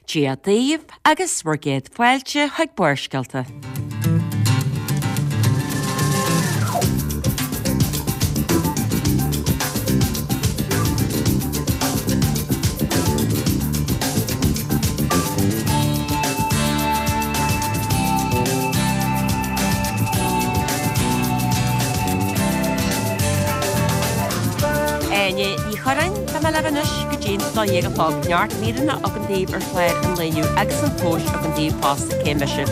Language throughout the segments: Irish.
Dia daoibh agus bhur gcéad fáilte chuig Barrscéalta. Áine Ní Churráin, tá mé libh anois go dtí'n 12 a chlog. Neart míreanna agam daoibh ar chlár an lae inniu agus an tomhais agam daoibh fosta, cé mise?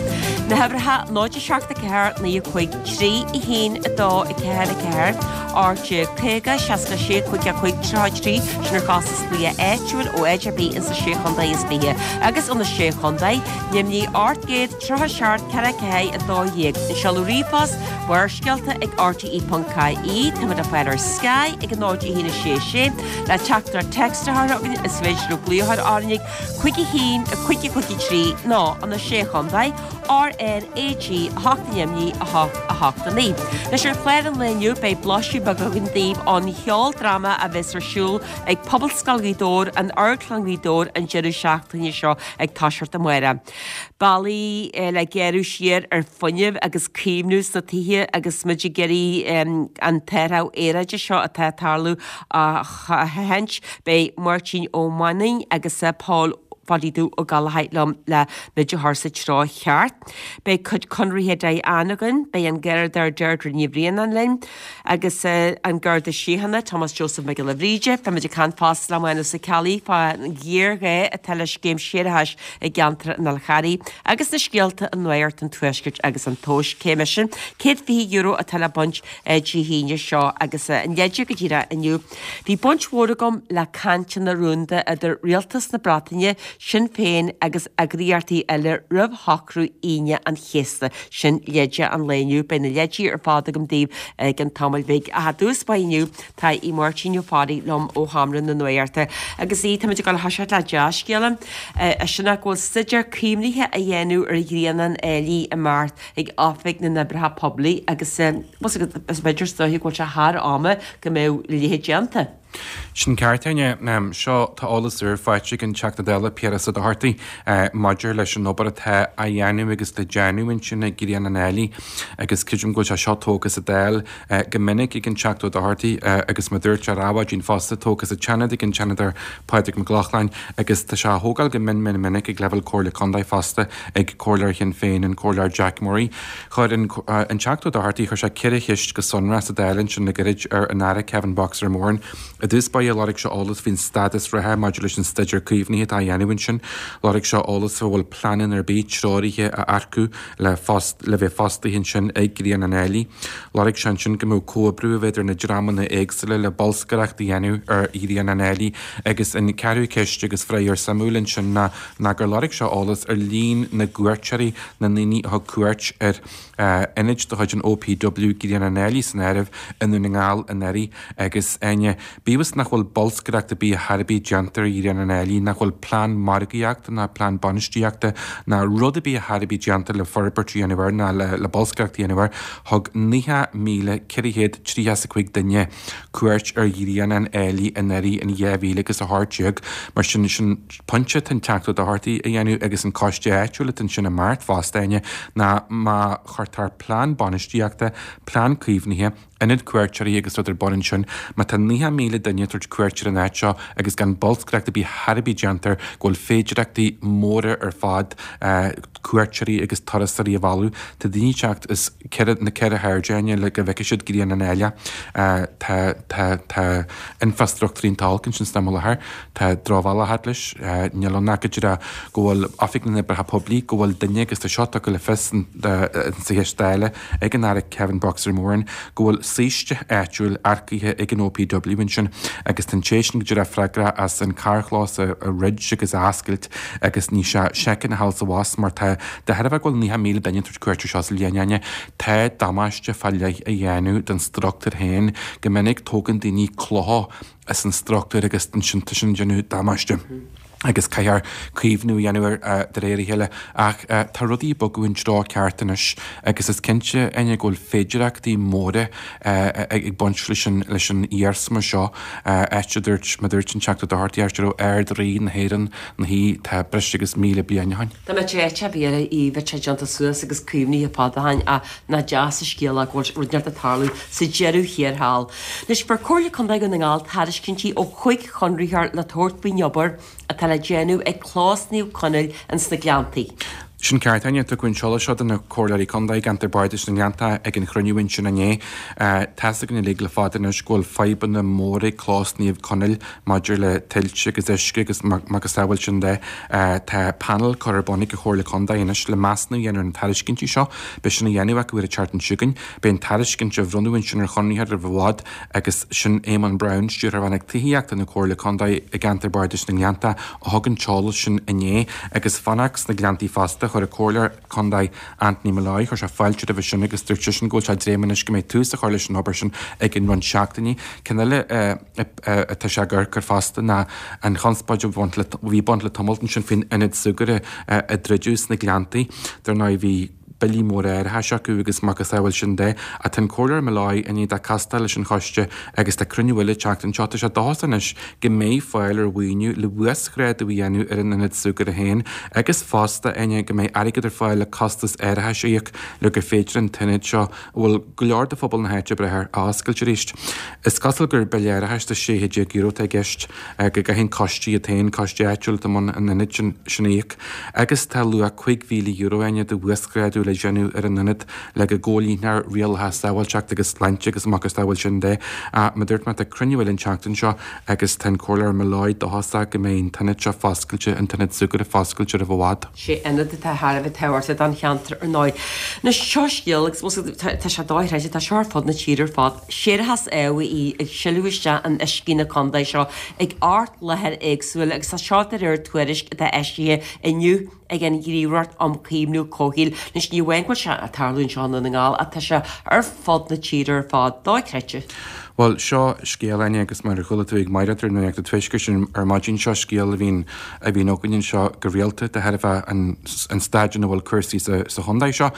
Na huimhreacha 0 7 4 9 5 3 1 2 4 4 18 50 66 5 5 33 sin ar chostas glaoch áitiúil ó áit ar bith insa Sé Chontae is 20 agus ó na Sé Chontae, Nimhní 837 4 4 12. An seoladh ríomhphost, Barrscéalta ag rte.ie Táimid le fáil ar Sky ag 0 1 6 6 le teachtaireacht text a chur chugainn is féidir libh glaoch a chur orainn ag 5 1 5 5 3 nó ó na Sé Chontae, RnaG 8 Neimhní 8 8 9. Anois ar chlár an lae inniu beidh blaiseadh beag againn daoibh ón cheoldráma a bheas ar siúl ag Pobalscoil Ghaoth Dobhair, in Amharclann Ghaoth Dobhair an deireadh seachtaine seo ag toiseacht amárach. Bealaí le gearradh siar ar fuinneamh agus caomhnú sna tithe agus muid ag iarraidh an t-athrú aeráide seo atá ag tarlú a sheachaint. Beidh Máirtín Ó Mainnín agus Pól Pháidí Dubh Ó Gallchóir liom le muid a chur sa treo cheart. Beidh cuid conraithe Diane againn, beidh an Garda Deirdre Ní Bhraonáin linn agus an Garda Síochána Tomás Joseph Mac Giolla Bhríde. Beidh muid ag caint fosta le Mánus Ó Ceallaigh fán ghéarghá atá le scéim séarachais i gceantar an Fhál Charraigh agus na scéalta i Nuacht an Tuaiscirt agus an tomhas cé mise €120 atá le baint Dé hAoine seo agus an leide go díreach inniu. Bhí baint mhór agam le cainteanna rúnda idir Rialtas na Breataine, Sinn Féin agus eagraíochtaí eile roimh shocrú Aoine an Chéasta. Sin leide an lae inniu. Beidh na leidí ar fad agam daoibh i gcionn tamaill bhig. Ach i dtús báire inniu tá Aodh Máirtín Ó Fearraigh liom ó Sheomra na Nuachta. Agus Aodh, táimid ag dul a thoiseacht le dea-scéala, sin ná go bhfuil staidéar caomhnaithe á dhéanamh ar Ghrianán Áilí i mBeart ag Oifig na nOibreacha Poiblí agus is b'fhéidir is dóiche go bhfuil sé thar ama go mbeadh a leithéid déanta. Sin ceart, Áine. Seo, tá eolas úr faighte ag an Teachta Dála Piaras Ó Dochartaigh maidir leis an obair atá á dhéanamh agus le déanamh ansin ag Grianán Áilí agus creidim go bhfuil sé seo tógtha sa Dáil go minic ag an Teachta Ó Dochartaigh agus mar a dúirt sé ar Adhmhaidin fosta, tógtha sa tSeanad ag an Seanadóir Pádraig Mac Lochlainn agus tá sé á thógáil go mion mion minic ag leibhéal Comhairle Contae fosta ag Comhairleoir Shinn Féin, an Comhairleoir Jack Murray. Chuir an Teachta Ó Dochartaigh, chuir sé 4 cheist go sonrach sa Dáil ansin le gairid ar an Aire Kevin 'Boxer' Moran. I dtús báire lorg sé eolas faoin stádas reatha maidir leis an staidéar caomhnaithe atá á dhéanamh ansin. Lorg sé eolas fá bhfuil pleananna ar bith treoraithe a earcú le le bheith fostaithe ansin ag Grianán Áilí. Lorg sé ansin go mbeadh comhoibriú a bheith idir na dreamanna éagsúla le bolscaireacht a dhéanamh ar Ghrianán Áilí agus an ceathrú ceist agus faraor suimiúil ansin ná ná gur lorg sé eolas ar líon na gcuairteoirí, na ndaoine a thug cuairt ar ionaid de chuid an OPW, Grianán Áilí san áireamh, i nDún na nGall anuraidh agus Áine, bíodh is nach bhfuil bolscaireacht ar bith ar bith déanta ar Ghrianán Áilí, nach bhfuil plean margaíochta ná plean bainistíochta ná rud ar bith ar bith déanta le forbairt a dhéanamh air ná le bolscaireacht a dhéanamh air, thug 90,435 duine cuairt ar Ghrianán Áilí anuraidh in 2018. Mar sin, sin pointe atá an Teachta Ó Dochartaigh a dhéanamh agus an coiste áitiúil atá ansin i mBeart fosta, Áine, ná má chuirtear plean bainistíochta, plean caomhnaithe, ionad cuairteoirí agus rud ar bun ansin, má tá 90,000 duine ag tabhairt cuairt ar an áit seo agus gan bolscaireacht ar bith ar bith déanta air go bhfuil féidireachtaí móra ar fad cuairteoirí agus turasóirí a mhealladh. Tá daoine ag teacht as ceithre, na ceithre hairde, Áine, le go bhfeicfidh siad Grianán Áille. Tá, tá, tá infreastruchtúr iontach olc ansin san am i láthair. Tá drochbhealach fhad leis. Níl ann ach go díreach go bhfuil Oifig na nOibreacha Poiblí, go bhfuil duine, agus tá seo tugtha le fios sa cheist Dála ag an Aire Kevin 'Boxer' Moran, go bhfuil saoiste áitiúil earcaithe ag an OPW ansin agus tá an té sin go díreach freagrach as an carrchlós a dhruid agus a oscailt agus níl sé soicind a ghabháil sa bhus mar tá de thairbhe go bhfuil 90,000 duine ag tabhairt cuairt ar seo sa bhliain, Áine. Tá damáiste fá leith á dhéanamh don struchtúr féin. Go minic tógann daoine clocha as an struchtúr agus ansin tá sin ag déanamh damáiste. Agus caithfear caomhnú a dhéanamh air de réir a chéile. Ach tá rudaí ag bogadh an treo ceart anois agus is cinnte, Áine, go bhfuil féidireachtaí móra ag baint leis an leis an iarsma seo, áit a dúirt, mar a dúirt an Teachta Doherty, áit a raibh Ard-Rí na hÉireann ina shuí, tá breis agus 1,000 bliain ó shin. Dá mbeadh áit ar bith eile í bheadh sé déanta suas agus caomhnaithe fada ó shin ach nach deas an scéal é go bhfuil rud inteacht ag tarlú sa deireadh thiar thall. Anois, fuair Comhairle Contae Dhún na nGall tairiscintí ó chúig chonraitheoir le tabhairt faoin obair atá le déanamh ag Clós Naomh Conaill ins na Gleanntaí. Sin ceart, Áine. Tugadh an t-eolas seo do na Comhairleoirí Contae i gceantar Bardais na nGleanntach ag an chruinniú ansin inné. Tá's againn uilig le fada anois go bhfuil fadhbanna móra ag Clós Naomh Conaill maidir le tuilte agus uisce agus macasamhail sin de. Tá panel curtha ar bun ag an Chomhairle Contae anois le measúnú a dhéanamh ar na tairiscintí seo. Beidh sin á dhéanamh acu ar an tseachtain seo chugainn. Beidh an tairiscint á bhronnadh ansin ar chonraitheoir roimh i bhfad agus sin Éamonn Browne, Stiúrthóir Rannóg Tithíochta na Comhairle Contae i gceantar Bardais na nGleanntach, a thug an t-eolas sin inné. Agus fanacht sna Gleanntaí fosta, chuir an Comhairleoir Contae Anthony Molloy, chuir sé fáilte roimhe sin agus dúirt seisean go bhfuil sé ag dréim anois go mbeidh tús á chur leis an obair sin i gceann roinnt seachtainí. Ceann eile atá sé ag amharc air fosta ná an chonspóid a bhí ag baint le tamalt ansin faoin ionad súgartha a druideadh sna Gleanntaí. Dar ndóigh bhí. billí móra árachais acu agus macasamhail sin de. Ach tá an Comhairleoir Molloy i ndiaidh dó castáil leis an choiste agus tá cruinniú eile an tseachtain seo. Tá sé dóchasach anois go mbeidh fáil ar mhaoiniú le uasghrádú a dhéanamh ar an ionad súgartha féin agus fosta, Áine, go mbeidh airgead ar fáil le costas árachais a íoc le gur féidir an t-ionad seo, a bhfuil go leor de phobal na háite ag brath air, a oscailt arís. Is cosúil gur bille árachais de €16 atá i gceist go gcaithfidh an coiste iad féin, coiste áitiúil atá i mbun an ionaid sin, sin a íoc. Agus tá luach €5,000 Áine do uasghrádú le déanamh ar an ionad le go gcomhlíonfar rialacha sábháilteachta agus sláinte agus macasamhail sin de. Ach mar a dúirt mé, tá cruinniú eile an tseachtain seo agus tá an Comhairleoir Molloy dóchasach go mbeidh an t-ionad seo foscailte, an t-ionad súgartha foscailte roimh i bhfad. Sé ionad atá thar a bheith tábhachtach don cheantar ar ndóigh. Anois seo scéal agus tá sé dochreidte, tá seo ar fud na tíre ar fad. Séarachas amhaidh ag sileadh isteach in uiscí na contae seo ag 8 láthair éagsúil agus tá seo de réir tuairisc atá eisithe inniu ag an Ghníomhaireacht um Chaomhnú Comhshaoil. Anois ní amháin go bhfuil sé ag tarlú anseo i nDún na nGall ach tá sé ar fud na tíre ar fad. Dochreidte. Bhuel, seo scéal, Áine, agus mar a chuala tú ag Mairéad ar Nuacht an Tuaiscirt ar maidin, seo scéal a bhíonn a bhíonn againn anseo go rialta de thairbhe an an staid ina bhfuil cúrsaí sa sa chontae seo.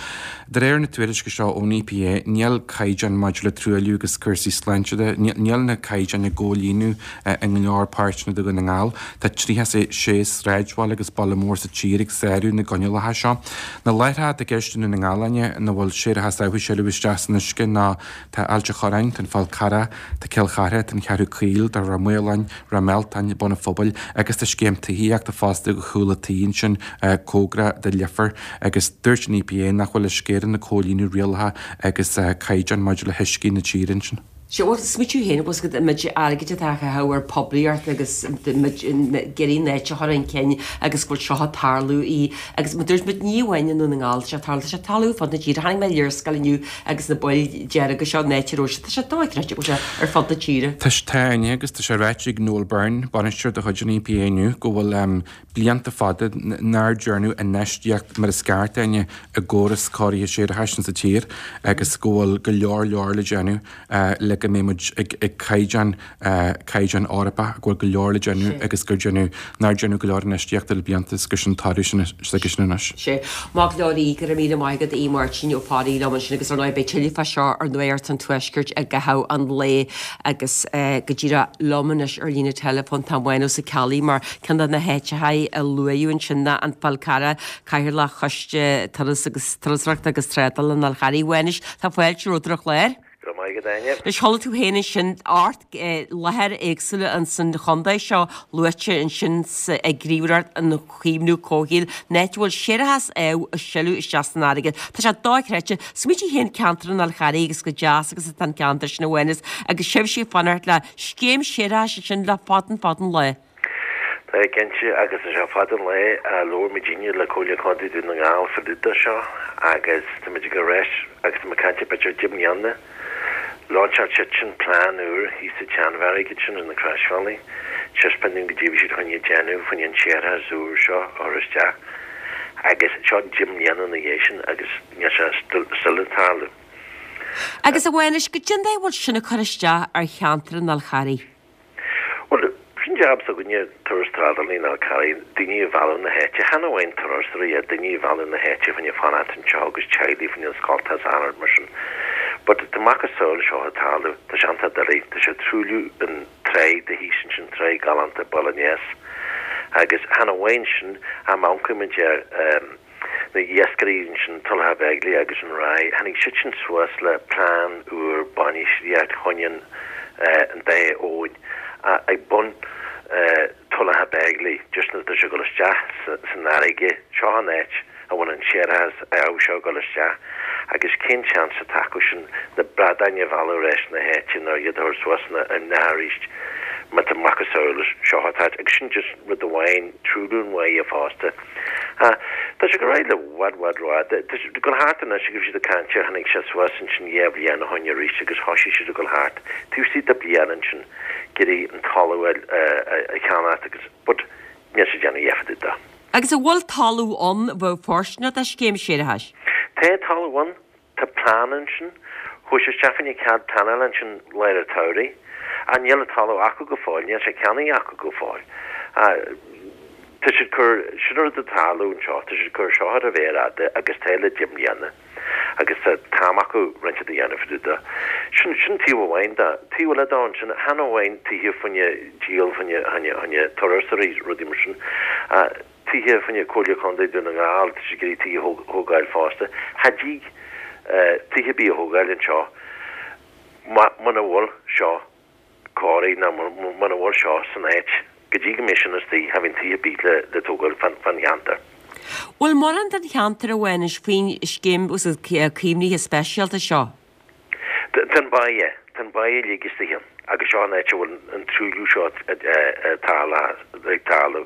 De réir na tuairisce seo ón EPA, níl caighdeáin maidir le truailliú agus cúrsaí sláinte de, níl na caighdeáin á gcomhlíonadh i go leor páirteanna de Dhún na nGall. Tá 36 sráidbhaile agus baile mór sa tír ag sárú na gcoinníollacha seo. Na láithreacha atá i gceist i nDún na nGall, Áine, ina bhfuil séarachas amh ag sileadh isteach san uisce ná Tá Ailt a' Chorráin, tá an Fál Carrach, tá Cill Chartha, tá an Cheathrú Caol, tá Ráth Maoláin, Ráth Mealtain, Bun an Phobail agus tá scéim tithíochta fosta do chúl an tí ansin cóngarach do Leifear agus dúirt an EPA nach bhfuil Uisce Éireann ag comhlíonadh rialacha agus caighdeáin maidir le huiscí na tíre ansin. Sea, bhuel, smaoitiú féin, bhfuil a fhios agat, an méid airgid atá á chaitheamh ar poiblíocht agus muid ag iarraidh an áit a chur chun cinn agus go bhfuil seo ag tarlú í agus mar dúirt muid ní amháin i nDún na nGall tá sé ag tarlú, tá sé ag tarlú ar fud na tíre. Chonaic mé léarscáil inniu agus na poill dearga seo an áit a raibh sé, tá sé dochreidte go bhfuil sé ar fud na tíre. Tá, tá Áine, agus tá sé ráite ag Noel Byrne, bainisteoir de chuid an EPA inniu, go bhfuil blianta fada nár dearnadh infheistíocht mar is ceart, Áine, i gcóras cóirithe séarachais insa tír agus go bhfuil go leor leor le déanamh le go mbeidh muid ag caighdeán caighdeán Eorpach, go bhfuil go leor le déanamh agus gur déanadh, nár déanadh go leor infheistíochta le blianta is gur sin toradh sin s'aigesean anois. Sea. Maith go leor Aodh, go raibh míle maith agat, Aodh Máirtín Ó Fearraigh liom ansin agus ar ndóigh beidh tuilleadh fá seo ar Nuacht an Tuaiscirt i gcaitheamh an lae agus go díreach liom anois ar líne teileafóin tá Mánus Ó Ceallaigh mar ceann de na háiteacha a luaíodh ansin ná an Fál Carrach, Cathaoirleach Choiste Turas agus Turasóireachta agus Trádála an Fháil Charraigh. A Mhánais, tá fáilte romhat ar an chlár. Go raibh maith agat, Áine. Anois, chuala tú féin ansin 8 láthair éagsúla ins an chontae seo luaite ansin ag Gníomhaireacht um Chaomhnú Comhshaoil, an áit a bhfuil séarachas amh ag sileadh isteach san fharraige. Tá sé dochreidte. Smaointigh féin ceantar an Fháil Charraigh agus chomh deas agus atá an ceantar sin a Mhánais agus sibhse ag fanacht le scéim séarachais ansin le fada an fada an lá. Tá, cinnte, agus tá sé fada an lá a labhair muidinne le Comhairle Contae Dhún na Ngall fá dtaobh de seo agus tá muid ag rá agus tá muid ag caint ar b'fhéidir 10 mbliana. Lainseáil siadsan plean úr thíos sa tSeanbheairic ansin ar na Croisbhealaí, taispeáint dúinn goidé a bhí siad chun a dhéanamh fá choinne an séarachas úr seo a chur isteach agus seo 10 mbliana ina dhiaidh sin agus níl sé still ag tarlú. Agus a Mhánais, goidé an dóigh a bhfuil sin ag cur isteach ar cheantar an Fháil Charraigh? Bhuel, sin. jab s'againne, turas trádálaí ná Fhal Carraigh, daoine a mhealladh na háite, chan amháin turasóirí, ach daoine a mhealladh na háite fá choinne fanacht anseo agus teaghlaigh fá choinne an scoltacha is achan rud mar sin. But tá macasamhail seo ag tarlú, tá sé iontach doiligh, tá sé ag truailliú an tráigh de thíos ansin, tráigh galánta Baile an Eas. Agus chan amháin sin, ach má amharcann muid ar na iascairí ansin, Tulach Bheiglaoich agus an Ráig, tháinig siadsan suas le plean úr bainistíocht fá choinne an dá abhainn ag bun Tulach Bheiglaoich, just nuair atá sé ag dul isteach san fharraige, seo an áit a bhfuil an séarachas amh seo ag dul isteach agus cén seans atá acu sin na bradáin a mhealladh ar ais na háite nó iad a chur suas na arís má tá macasamhail seo atá agus sin just rud amháin, truailliú an bháighe fosta. Tá sé ag dul ar aghaidh le bhfad bhfad rófhada. Tá sé ag dul thart anois agus bhí siad ag caint ar tháinig sé suas ansin dhéá bhliain ó shoin arís agus thoisigh siad ag dul thart taobh istigh de bliain ansin ag iarraidh an talamh a cheannacht agus but níl siad déanamh a dhath fá dtaobh de. Agus an bhfuil talamh ann a bheadh fóirsteanach do scéim séarachais? Tá talamh ann. Tá plean ansin. Chuaigh sé isteach fá choinne cead pleanála ansin lár an tsamhraidh. Ach níl an talamh acu go fóill, níl sé ceannaithe acu go fóill. Tá siad cur, sin an rud atá ag tarlú anseo, tá siad cur seo ar an mhéar fhada agus tá le 10 mbliana agus tá t-am acu roinnt a dhéanamh fá dtaobh de. Sin, sin taobh amháin de. Taobh eile de ansin, chan amháin tithe fá choinne díol, fá choinne, fá choinne turasóirí, rudaí mar sin. Tithe fá choinne Comhairle Contae Dún na nGall, tá siad ag iarraidh tithe a thógáil fosta. Cha dtig tithe ar bith a thógáil anseo muna bhfuil seo cóirithe ná muna bhfuil seo san áit. Go dtí go mbeidh sin istigh, cha bhíonn tithe ar bith le tógáil fán cheantar. Bhfuil mórán den cheantar a bhaineas faoin scéim caomhnaithe speisialta seo? Tá an báighe, tá an báighe uilig istigh ann agus seo an áit a bhfuil an truailliú seo ag tarlú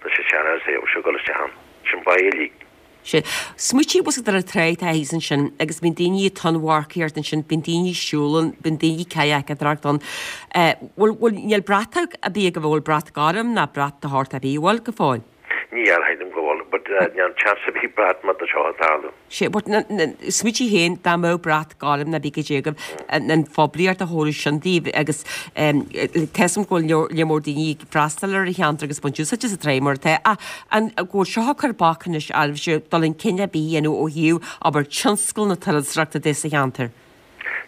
leis an séarachas amh seo ag dul isteach ann. Sin báighe uilig. Sea. Smaoitigh bhfuil a fhios agat ar an tráigh atá thíos ansin agus bíonn daoine ag tonnmharcaíocht ansin, bíonn daoine ag siúl ann, bíonn daoine ag cadhcadóireacht ann. Bhfuil, bhfuil, níl bratach ar bith agaibh, an bhfuil brat gorm ná brat de shórt ar bith, an bhfuil, go fóill? Níl, cha shílim go bhfuil, but níl chance ar bith brat má tá seo ag tarlú. Sea, but smaoitigh féin dá mbeadh brat gorm ná bí goidé agaibh, an phoiblíocht a thabharfadh sin daoibh agus tá 'fhios a'm go bhfuil lear mór daoine ag freastal ar an cheantar agus baint úsáid as an tráigh mar atá ach an go bhfuil seo ag cur bac anois oraibhse dul chun cinn ar bith a dhéanamh ó thaobh abair tionscal na turasóireachta de sa cheantar?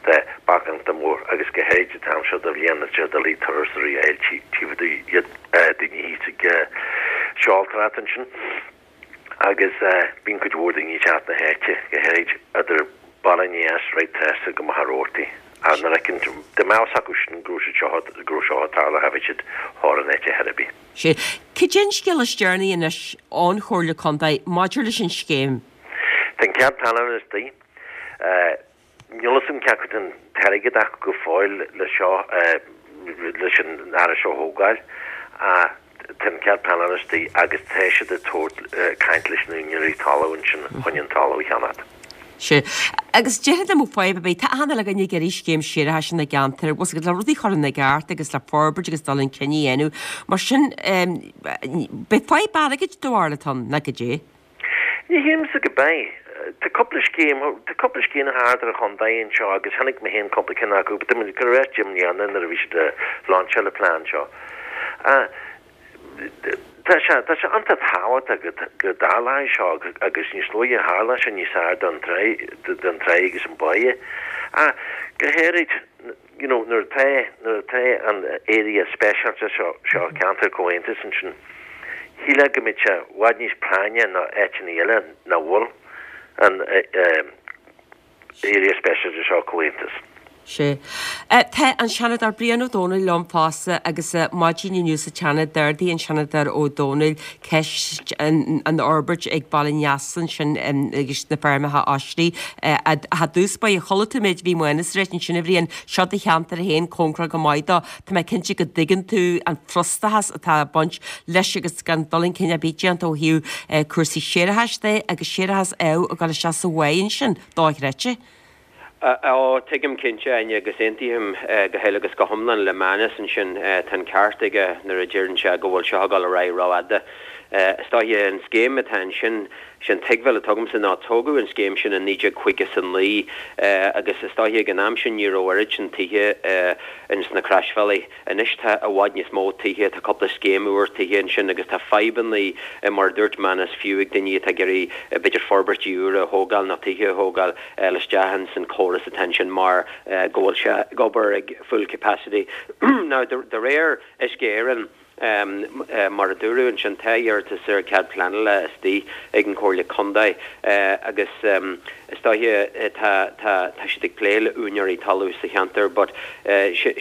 Tá bac iontach mór agus go háirid an t-am seo de bhliain is é doiligh turasóirí a fháil tchífidh iad daoine thíos ag seoltóireacht ansin agus bíonn cuid mhór daoine ag teacht na háite go háirid idir Baile an Eas right trasna go Machaire Rabhartaigh ach nuair a fheiceann dá mbeadh fhios acu sin go raibh siad seo go raibh seo ag tarlú cha bheadh siad thar an áit ar chor ar bith. Sea. Cad é an scéal is deireanaí anois ón Chomhairle Contae maidir leis an scéim? Tá an cead pleanála istigh. Níl fhios a'm cé acu tá an t-airgead acu go fóill le seo, leis an áras seo a thógáil ach tá an cead pleanála istigh agus tá siad ag tabhairt, caint leis na úinéirí talaimh ansin chun an talamh a cheannacht. Sea. Agus déarfainn dá mbeadh fadhb ar bith, tá achan uile dhuine ag iarraidh scéim séarachais ina gceantar, bhfuil 's agat, le rudaí a chur ina gceart agus le forbairt agus dul chun cinn a dhéanamh. Mar sin, beidh fadhb airgid do bharúil atá ann, ná goidé? Ní shílimse go mbeidh. Tá cúpla scéim, tá cúpla scéim thart ar an chontae anseo agus chonaic mé féin cúpla ceann acu, but tá muid ag cur ar ais 10 mbliana nuair a bhí siad ag lainseáil an plean seo. Tá sé, tá sé iontach tábhachtach go, go dtarlóidh seo agus níos luaithe a tharlóidh sé níos fearr don tráigh, don tráigh agus an báighe. Ach go háirid, you know, nuair atá, nuair atá an area speisialta seo, seo, ceantar comhaontais ansin, shílfeá go mbeadh sé i bhfad níos práinne ná áiteanna eile nach bhfuil an area speisialta seo comhaontas. Sea. Tá an Seanadóir Brian Ó Domhnaill liom fosta agus maidin inniu sa tSeanad d'ardaigh an Seanadóir Ó Domhnaill ceist an fhorbairt ag Baile an Easa ansin agus na feirmeacha oisrí. I dtús báire, chuala tú an méid a bhí Mánas a ráit ansin a Bhriain, seo do cheantar féin, cóngarach go maith dó. Tá mé cinnte go dtuigeann tú an frustrachas atá ag baint leis agus gan dul chun cinn ar bith déanta ó thaobh cúrsaí séarachais de agus séarachas amh ag dul isteach sa bháigh ansin, dochreidte. Ó, tuigim cinnte, Áine, agus aontaím go huile agus go hiomlán le Mánas ansin. Tá an ceart aige nuair a deireann sé go bhfuil seo ag dul ar aghaidh rófhada. Is dóiche an scéim atá ansin, sé an tuigbheáil atá agamsa ná tógadh an scéim sin in 1959 agus is dóiche ag an am sin ní raibh oiread sin tithe ins na Croisbhealaí. Anois tá i bhfad níos mó tithe, tá cúpla scéim úr tithe ansin agus tá fadhbanna mar a dúirt Manus fiú ag daoine atá ag iarraidh b'fhéidir forbairtí úra a thógáil nó tithe a thógáil fáil isteach ins an córas atá ansin mar go bhfuil sé ag obair ag full capacity. Now de réir Uisce Éireann, Mar a dúradh ansin, tá iarratas ar chead pleanála istigh ag an Chomhairle Contae agus is dóiche tá tá tá siad ag plé le úinéirí talaimh sa cheantar but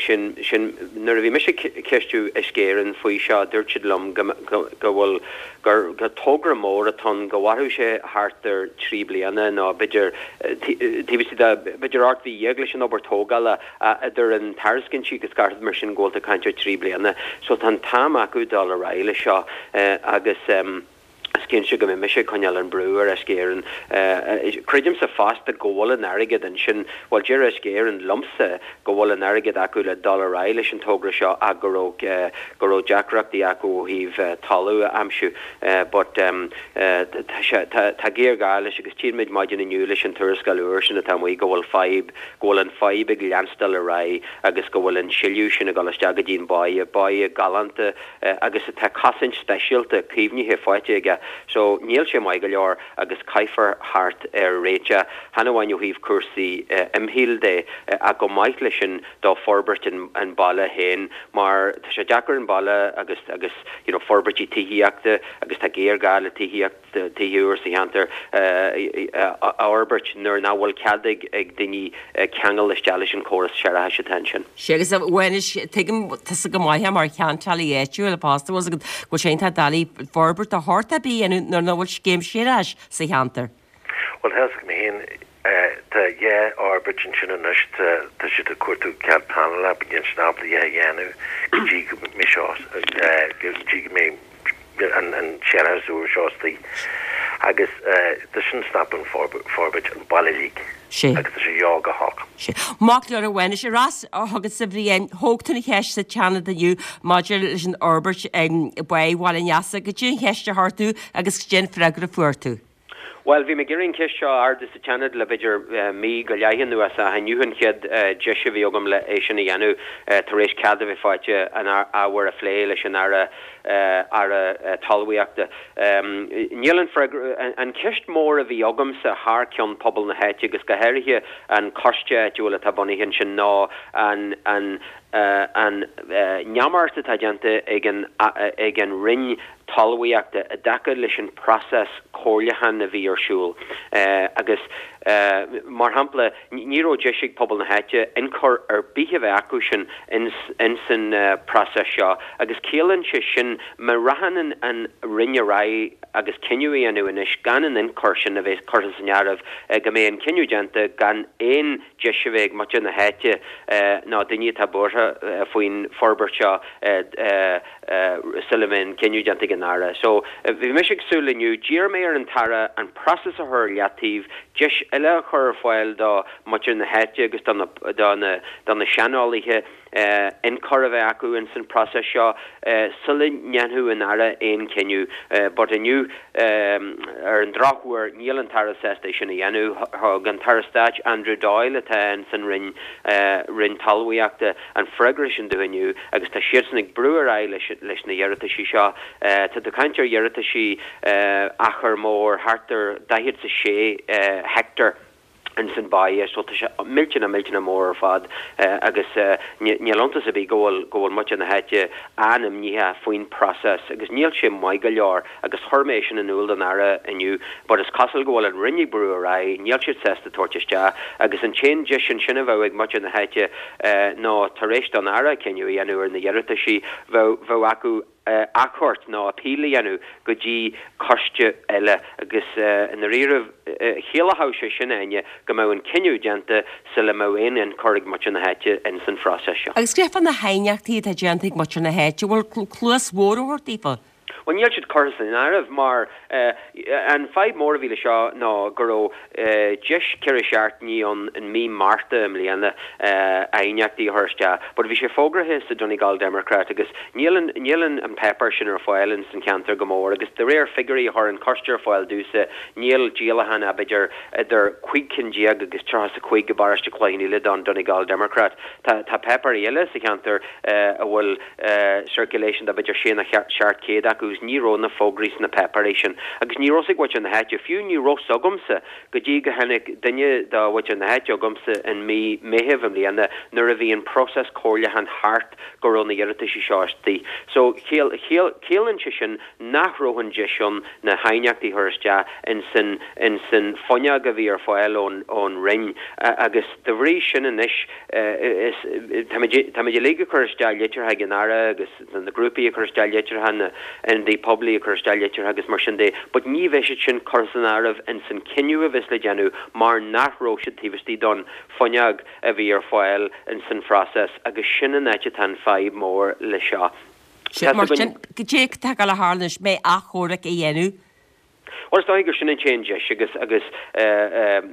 sin sin nuair a bhí mise ag ceistiú Uisce Éireann faoi seo dúirt siad liom go go go bhfuil gur gur togra mór atá ann go mhairfeadh sé thart ar thrí bliana nó b'fhéidir taobh istigh de b'fhéidir 18 mhí leis an obair tógála idir an tairiscintí agus gach rud mar sin go bhfuil tú ag caint ar thrí bliana. So tá an t-am acu dul ar aghaidh leis seo agus is cinnte go mbeidh mise ag coinneáil an brú ar Uisce Éireann. Creidimse fosta go bhfuil an airgead ansin, bhuel deir Uisce Éireann liomsa go bhfuil an airgead acu le dul ar aghaidh leis an togra seo ach go raibh go raibh deacrachtaí acu ó thaobh talamh a aimsiú. But tá sé tá tá géarghá leis agus tchímid maidin inniu leis an tuarascáil úr sin atá amuigh go bhfuil fadhb go bhfuil an fadhb ag leanstáil ar aghaidh agus go bhfuil an sileadh sin ag dul isteach go dtí an báighe, báighe galánta agus atá cosaint speisialta caomhnaithe faighte aige. So níl sé maith go leor agus caithfear theacht ar réiteach, chan amháin ó thaobh cúrsaí imshaoil de ach chomh maith leis sin do forbairt an baile féin mar tá sé deacair an baile agus agus you know forbairtí tithíochta agus tá géarghá le tithíocht. tithe úr sa cheantar a fhorbairt nuair nach bhfuil cead ag daoine ceangal isteach leis an chóras séarachais atá ansin. Sea, agus a Mhánais, tuigim tusa go maith é mar cheantálaí áitiúil fosta, bhfuil 's agat go bhfuil sé iontach doiligh forbairt de shórt ar bith a dhéanamh nuair nach bhfuil scéim séarachais sa cheantar. Bhuel, tá 'fhios agam féin, tá dhá fhorbairt ansin anois, tá siad ag cuartú cead pleanála, níl siad ábalta a dhéanamh go dtí go mbeidh seo, go dtí go mbeidh an séarachas úr seo istigh. Agus tá sin ag stopadh an forbairt an baile uilig agus tá sé dheo go holc. Sea. Maith go leor a Mhánais, ar ais chugatsa a Bhriain, thóg tú an cheist sa tSeanad inniu maidir leis an fhorbairt ag Báigh Bhaile an Easa. Goidé an cheist a chuir tú agus goidé an freagra a fuair tú. Bhuel, bhí mé ag iarraidh an cheist seo a ardú sa tSeanad le b'fhéidir mí go leith anuas ach inniu an chéad deis a bhí agam le é sin a dhéanamh tar éis cead a bheith faighte an ábhar a phlé leis an Aire Aire Talmhaíochta. Níl an freagra, an cheist mór a bhí agamsa thar ceann pobal na háite agus go háirithe an coiste áitiúil atá bunaithe ansin ná an an an neamart atá déanta ag an ag an Roinn Talmhaíochta i dtaca leis an bpróiseas comhairliúcháin a bhí ar siúl agus, mar shampla, ní raibh deis ag pobal na háite ionchur ar bith a bheith acu sin ins an bpróiseas seo agus ciallaíonn sé sin má rachann an Roinn ar aghaidh agus cinneadh a dhéanamh anois gan an ionchur sin a bheith curtha san áireamh go mbeidh an cinneadh déanta gan aon deis a bheith ag muintir na háite nó daoine atá buartha faoin forbairt seo sula mbeidh an cinneadh déanta ag an Aire. So, bhí mise ag súil inniu, d'iarr mé ar an tAire an próiseas a chur ar leataobh, deis eile a chur ar fáil do mhuintir na háite agus do na, do na, do na seaneolaithe ionchur a bheith acu ins an próiseas seo sula ndéanfadh an Aire aon cinneadh. But inniu, ar an drochuair, níl an tAire sásta é sin a dhéanamh. Thug an tAire Stáit Andrew Doyle, atá ins an Roinn, Roinn Talmhaíochta, an freagra sin dúinn inniu agus tá siadsan ag brú ar aghaidh leis leis na hiarrataisí seo. Tá tú ag caint ar iarrataisí achar mór, thart ar 46 heicteár ins an báighe so tá sé millteanach millteanach mór ar fad agus níl iontas ar bith go bhfuil go bhfuil muintir na háite an-imníoch faoin bpróiseas agus níl sé maith go leor agus chuir mé é sin in iúl don Aire inniu but is cosúil go bhfuil an Roinn ag brú ar aghaidh, níl siad sásta tabhairt isteach agus an t-aon deis ansin a bheadh ag muintir na háite ná tar éis don Aire cinneadh a dhéanamh ar na hiarrataisí, bheadh bheadh acu achomharc nó appeal a dhéanamh go dtí coiste eile agus i ndáiríre chiallódh sé sin, Áine, go mbeadh an cinneadh déanta sula mbeadh aon ionchur ag muintir na háite ins an phróiseas seo. Agus cad é fá na haighneachtaí atá déanta ag muintir na háite, bhfuil cluas bhodhar á thabhairt daofa? Bhuel níl siad curtha san áireamh mar an fadhb mór a bhí le seo ná go raibh deis 4 seachtainí ann in mí Márta i mbliana aighneachtaí a chur isteach but bhí sé fógraithe sa Donegal Democrat agus níl an níl an an páipéar sin ar fáil ins an cheantar go mór agus de réir figiúirí a chuir an coiste ar fáil domhsa níl díolachán ach b'fhéidir idir 15 cinn agus 35 i bparóiste Chloich Cheann Fhaola don Donegal Democrat. Tá tá páipéirí eile sa cheantar a bhfuil circulation de b'fhéidir sé nó 700 acu agus ní raibh na fógraí sna páipéirí sin agus ní raibh 's ag muintir na háite, fiú ní raibh 's agamsa go dtí go tháinig duine de mhuintir na háite chugamsa in mí Meithimh i mbliana nuair a bhí an próiseas comhairliúcháin thart go raibh na hiarrataisí seo istigh. So ciallaíonn sé sin nach raibh an deis ann na haighneachtaí a chur isteach ins an ins an fuinneog a bhí ar fáil ón ón Roinn agus de bhrí sin anois is táimid táimid uilig ag cur isteach litreacha ag an Aire agus na grúpaí ag cur isteach litreacha, na ionadaithe poiblí ag cur isteach litreacha agus mar sin de but ní bheidh siad sin curtha san áireamh ins an cinneadh a bheas le déanamh mar nach raibh siad taobh istigh don fuinneog a bhí ar fáil ins an phróiseas agus sin an áit atá an fadhb mór le seo. Sea, mar sin, goidé atá ag dul a tharlú anois, mbeidh achomharc á dhéanamh? Bhuel, is dóigh gur sin an t-aon deis agus, agus ar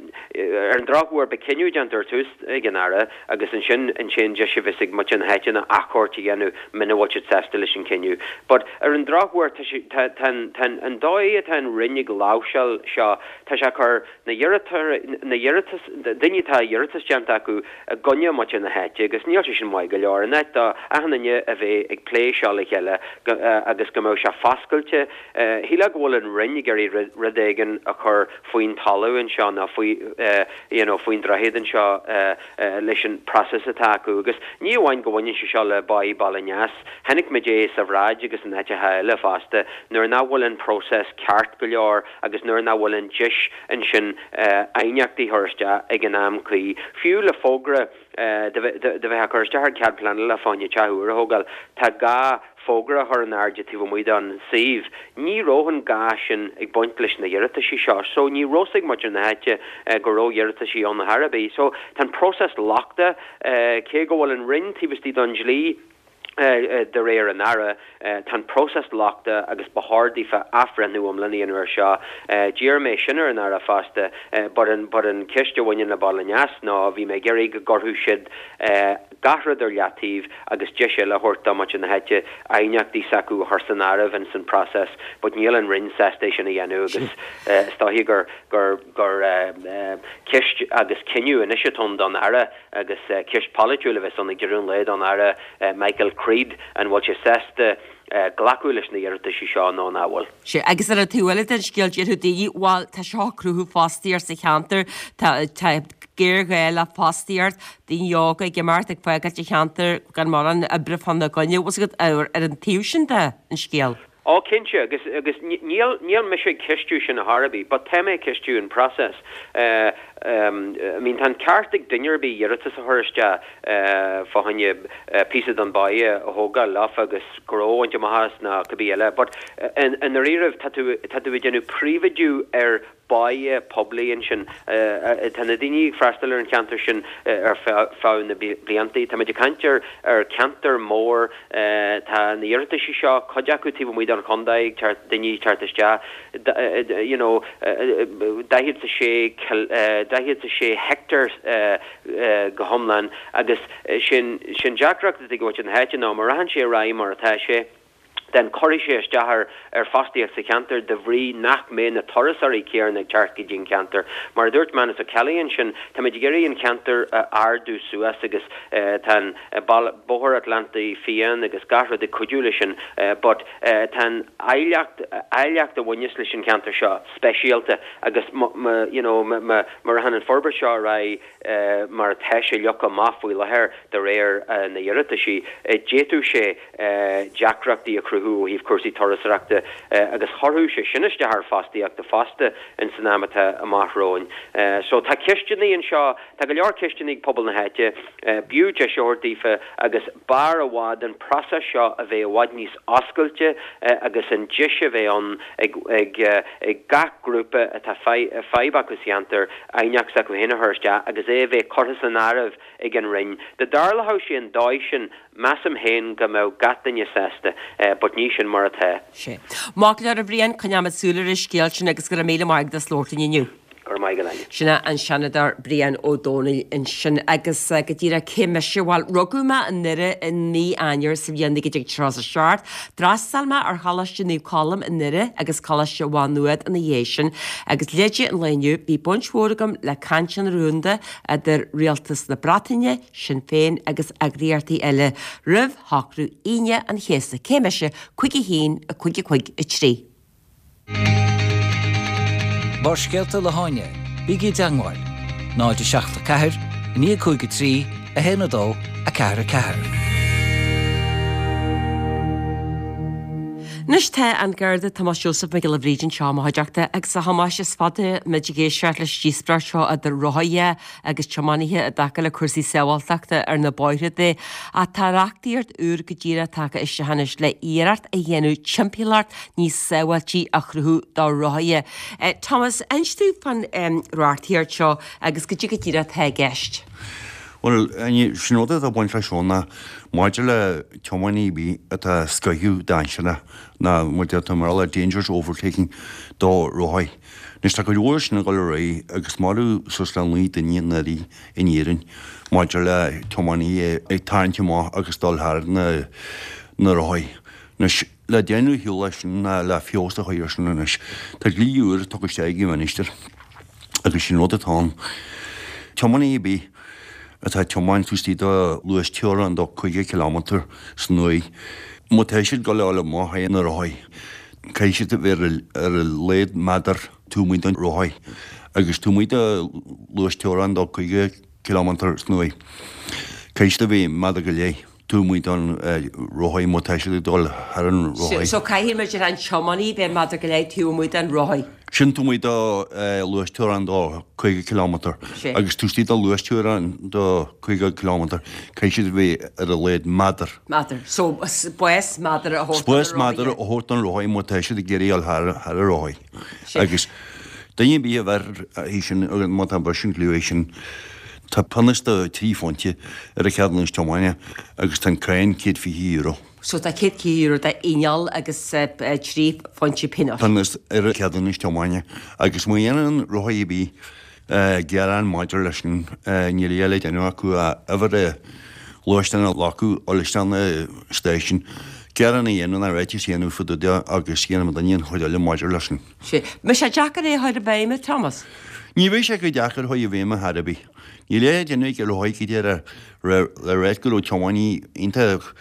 an drochuair, beidh cinneadh déanta ar tús ag an Aire agus ansin an t-aon deis a bheas ag muintir na háite ná achomharc a dhéanamh muna bhfuil siad sásta leis an cinneadh. But ar an drochuair, tá sé, tá, tá an, tá an, an dóigh atá an Roinn ag láimhseáil seo, tá sé ag cur na hiarratóirí, na hiarratas, daoine atá iarratas déanta acu i gcoinne muintir na háite agus níl sé sin maith go leor. In áit do achan duine a bheith ag plé seo le chéile go, agus go mbeadh sé foscailte, Shílfeá go bhfuil an Roinn ag iarraidh rud éigin a chur faoin talamh anseo nó faoi you know faoin droichead anseo leis an process atá acu agus ní amháin go bhaineann sé seo le báí Baile Aneas, chonaic muid é sa Bhráid agus in áiteacha eile fosta nuair nach bhfuil an process ceart go leor agus nuair nach bhfuil an deis ansin aighneachtaí a chur isteach ag an am cuí. Fiú le fógra do bheith á cur isteach ar cead pleanála fá choinne teach úr a thógáil, tá gá fógra a chur in airde taobh amuigh don suíomh. Ní raibh an gá sin ag baint leis na hiarrataisí seo so ní raibh 's ag muintir na háite go raibh iarrataisí ann ar chor ar bith. So tá an próiseas lochtach, cé go bhfuil an Roinn taobh istigh don dlí, de réir an Aire, tá an próiseas lochtach agus ba chóir daofa athbhreithniú iomlán a dhéanamh air seo. D'iarr mé sin ar an Aire fosta but an but an ceist a bhaineann le Baile Aneas ná bhí mé ag iarraidh go gcuirfeadh siad gach rud ar leataobh agus deis eile a thabhairt do mhuintir na háite aighneachtaí s'acu a chur san áireamh ins an process but níl an Roinn sásta é sin a dhéanamh agus is dóiche gur gur gur ceist agus cinneadh anois atá ann don Aire Agus ceist pholaitiúil a bheas ann ag deireadh an lae don Aire Michael Creed, an bhfuil sé sásta glacadh leis na hiarrataisí seo nó nach bhfuil? Sea, agus ar an taobh eile den scéal, déarfadh daoine, bhuel, tá seo ag cruthú fostaíocht sa cheantar, tá, tá géarghá le fostaíocht, daoine óga ag imeacht, ag fágáilt an cheantair gan mórán oibre fána gcoinne, bhfuil 's agat, ar an taobh sin de an scéal. Ó, cinnte, agus, agus níl, níl mise ag ceistiú sin ar chor ar bith, but tá mé ag ceistiú an process. I mean, tá an ceart ag duine ar bith iarratas a chur isteach fá choinne píosa den báighe a thógáil leofa agus gnó a bhaint amach as nó cibé eile, but i ndáiríribh tá tú, tá tú ag déanamh príobháidiú ar báighe poiblí ansin. Tá na daoine ag freastal ar an cheantar sin ar feadh na blianta. Táimid ag caint ar cheantar mór. Tá na hiarrataisí seo, cuid acu taobh amuigh den chontae, ag teacht, daoine ag teacht isteach, you know, 46, 46 heicteár go hiomlán agus sin, sin deacracht atá ag muintir na háite ná má rachann sé ar aghaidh mar atá sé, then cuirfidh sé isteach ar ar fostaíocht sa cheantar de bhrí nach mbeidh na turasóirí céanna ag teacht go dtí an ceantar. Mar a dúirt Manus O'Kelly ansin, táimid ag iarraidh an ceantar a ardú suas agus tá an Bóthar Atlantaigh Fiáin agus gach rud ag cuidiú leis sin but tá an áilleacht áilleacht a bhaineas leis an cheantar seo speisialta agus you know má rachann an forbairt seo ar aghaidh mar atá sé leagtha amach faoi láthair de réir na n-iarrataisí, d'fhéadfadh sé deacrachtaí a chruthú ó thaobh cúrsaí turasóireachta agus chuirfeadh sé sin isteach ar fostaíochta fosta ins an am atá amach romhainn. So tá ceisteanna anseo, tá go leor ceisteanna ag pobal na háite, b'fhiú deis a thabhairt daofa agus b'fhearr i bhfad an process seo a bheith i bhfad níos oscailte agus an deis a bheith ann ag ag gach grúpa atá fadhb acu sa cheantar aighneacht s'acu féin a chur isteach agus é a bheith curtha san áireamh ag an Roinn. Dá dtarlódh sé an dóigh sin, measaim féin go mbeadh gach duine sásta. But ní sin mar atá. Sea. Maith go leor a Bhriain, coinneoimid súil ar an scéal sin agus go raibh míle maith agat as labhairt linn inniu. Go raibh maith agat Áine. Sin é an Seanadóir Brian Ó Domhnaill ansin. Agus go díreach cé mise? Bhuel, rugadh mé i nDoire i mí Eanáir sa bhliain 1937. D'fhreastail mé ar Choláiste Naomh Colm i nDoire agus Coláiste Mhá Nuad ina dhiaidh sin. Agus leide an lae inniu, bhí baint mhór agam le cainteanna rúnda idir Rialtas na Breataine, Sinn Féin agus eagraíochtaí eile roimh shocrú Aoine an Chéasta. Cé mise? 5 1 5 5 3. Barrscéalta le hÁine, bígí i dteangmháil, 0 7 4 9 5 3 1 2 4 4. Anois tá an Garda Tomás Joseph Mac Giolla Bhríde anseo i mo chuideachta agus a Thomáis is fada muid ag éisteacht leis an díospóireacht seo idir rothaithe agus tiománaithe i dtaca le cúrsaí sábháilteachta ar na bóithre de. Ach tá reachtaíocht úr go díreach tagtha isteach anois le iarracht a dhéanamh timpeallacht níos sábháiltí a chruthú do rothaithe. Thomas, inis dúinn fán reachtaíocht seo agus goidé go díreach atá i gceist. Bhuel, sin rud atá ag baint leis seo ná maidir le tiománaí ar bith atá scoitheadh dainséarach ná mar atá mar le dangerous overtaking do rothaí. Anois tá cuid mhór sin ag dul ar aghaidh agus maraíodh suas le 9 duine anuraidh in Éirinn maidir le tiománaithe ag tarraingt amach agus dul thar na na rothaí. Anois le déanamh ar shiúl leis sin ná le feabhas a chur air sin anois tá dlí úr tugtha isteach ag an Mhinistir agus sin rud atá ann. Tiománaí ar bith atá ag tiomáint taobh istigh de luas teorann de 50 kilometre san uair má tá siad ag dul a dhul amach ar na rothaí Caithfidh siad a bheith ar a laghad méadar taobh amuigh den rothaí agus taobh amuigh de luas teorann de 50 kilometre san uair. Caithfidh siad a bheith méadar go leith taobh amuigh den rothaí má tá siad ag dul thar an rothaí. So caithfidh muid an tiománaí bheith méadar go leith taobh amuigh den rothaí. Sin taobh amuigh de luas teorann de 50 kilometre agus taobh istigh de luas teorann de 50 kilometre caithfidh siad a bheith ar a laghad méadar. Méadar. So, spás méadar a thabhairt don rothaí. Spás méadar a thabhairt don rothaí má tá siad ag iarraidh dul thar an rothaí. Agus duine ar bith a bheir é sin, má tá briseadh an dlí sin, tá pionós de 3 phointe ar a cheadúnas tiomána agus tá an cáin €120. So tá €120 d'fhíneáil agus 3 phointe pionóis. Pionós ar a cheadúnas tiomána. Agus má dhéanann rothaí ar bith gearán maidir leis sin, níl a dhath le déanamh acu ach uimhir an ghluaisteáin a ghlacadh, dul isteach na stáisiún, gearán a dhéanamh nó ráiteas a dhéanamh fá dtaobh de agus déanfaidh duine an chuid eile maidir leis sin. Sea. Mbeidh sé deacair é a chur i bhfeidhm, a Thomas? Ní bheidh sé go deacair a chur i bhfeidhm ar chor ar bith. Níl a dhath le déanamh ag rothaí go díreach le ráit go raibh tiománaí iontach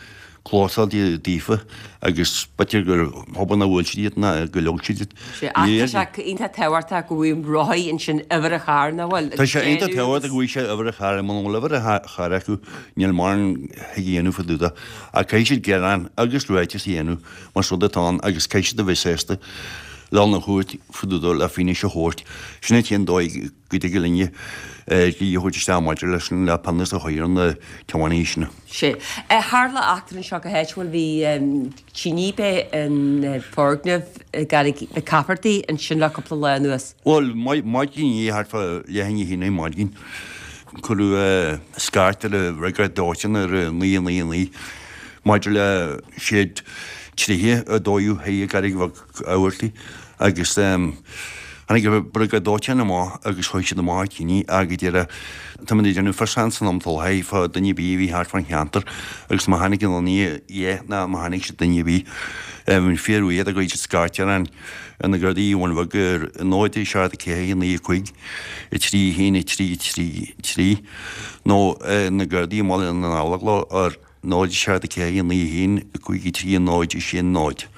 clósáilte daofa agus b'fhéidir gur thobann a bhuail siad iad ná go leog siad iad. Sea, ach tá sé iontach tábhachtach go bhfuil rothaí ansin uimhir an chairr, nach bhfuil? Tá sé iontach tábhachtach go bhfuil sé uimhir an chairr, muna bhfuil uimhir an chairr acu níl mórán thig a dhéanamh fá dtaobh de. Ach caithfidh siad gearán agus ráiteas a dhéanamh más rud atá ann agus caithfidh siad a bheith sásta le dhul 'na chúirt fá dtaobh de le fianaise a thabhairt. Sin an t-aon dóigh go dtig linne dlí a thabhairt isteach maidir leis sin le pionós a chur ar na tiománaithe sin. Sea. Tharla eachtra anseo go háitiúil, bhí tine b'é in foirgneamh i gCarraig Mhic Caifeartaigh ansin le cúpla lá anuas. Bhuel, maidin inné, thart fá leath i ndiaidh a haon ar maidin, cuireadh scairt ar an bhriogáid dóiteáin ar 999 maidir le seid tréithe a dódh thiar i gCarraig Mhic Fhaircheallaigh agus tháinig an briogáid dóiteáin amach agus chuaigh siad amach an tine ach go deireadh tá muid ag déanamh fiosrúchán san am atá i láthair fá duine ar bith a bhí thart fán cheantar agus má tháinig aon duine dhe ná má tháinig siad duine ar bith bhí fíor bhuíoch go raibh siad scairt ar an ar na Gardaí i Bhun Bheag ar 0 7 4 9 5 3 1 3 3 3 nó na Gardaí i mBaile na nGallóglach ar 0 7 4 9 1 5 3 0 6 0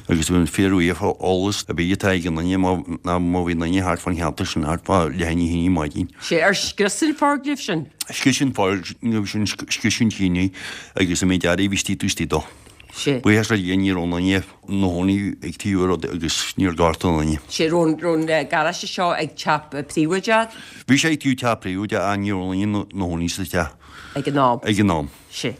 Agus bheinn fíorbhuíoch fá eolas ar bith atá ag aon duine má ná má bhí duine thart fán cheantar sin thart fá leath i ndiaidh a haon ar maidin. Sea, ar scrios an foirgneamh sin? Scrios an foirgneamh sin, scrios an tine agus an méid earraí a bhí istigh taobh istigh dó. Sea. Buíochas le Dia ní raibh aon duine 'na chónaí ag taobh an rud agus níor gortaíodh aon duine. Sea, raibh an garáiste seo ag teach príobháideach? Bhí sé ag taobh teach príobháideach ach ní raibh aon duine 'na chónaí sa teach. Ag an am. Ag an am. Sea.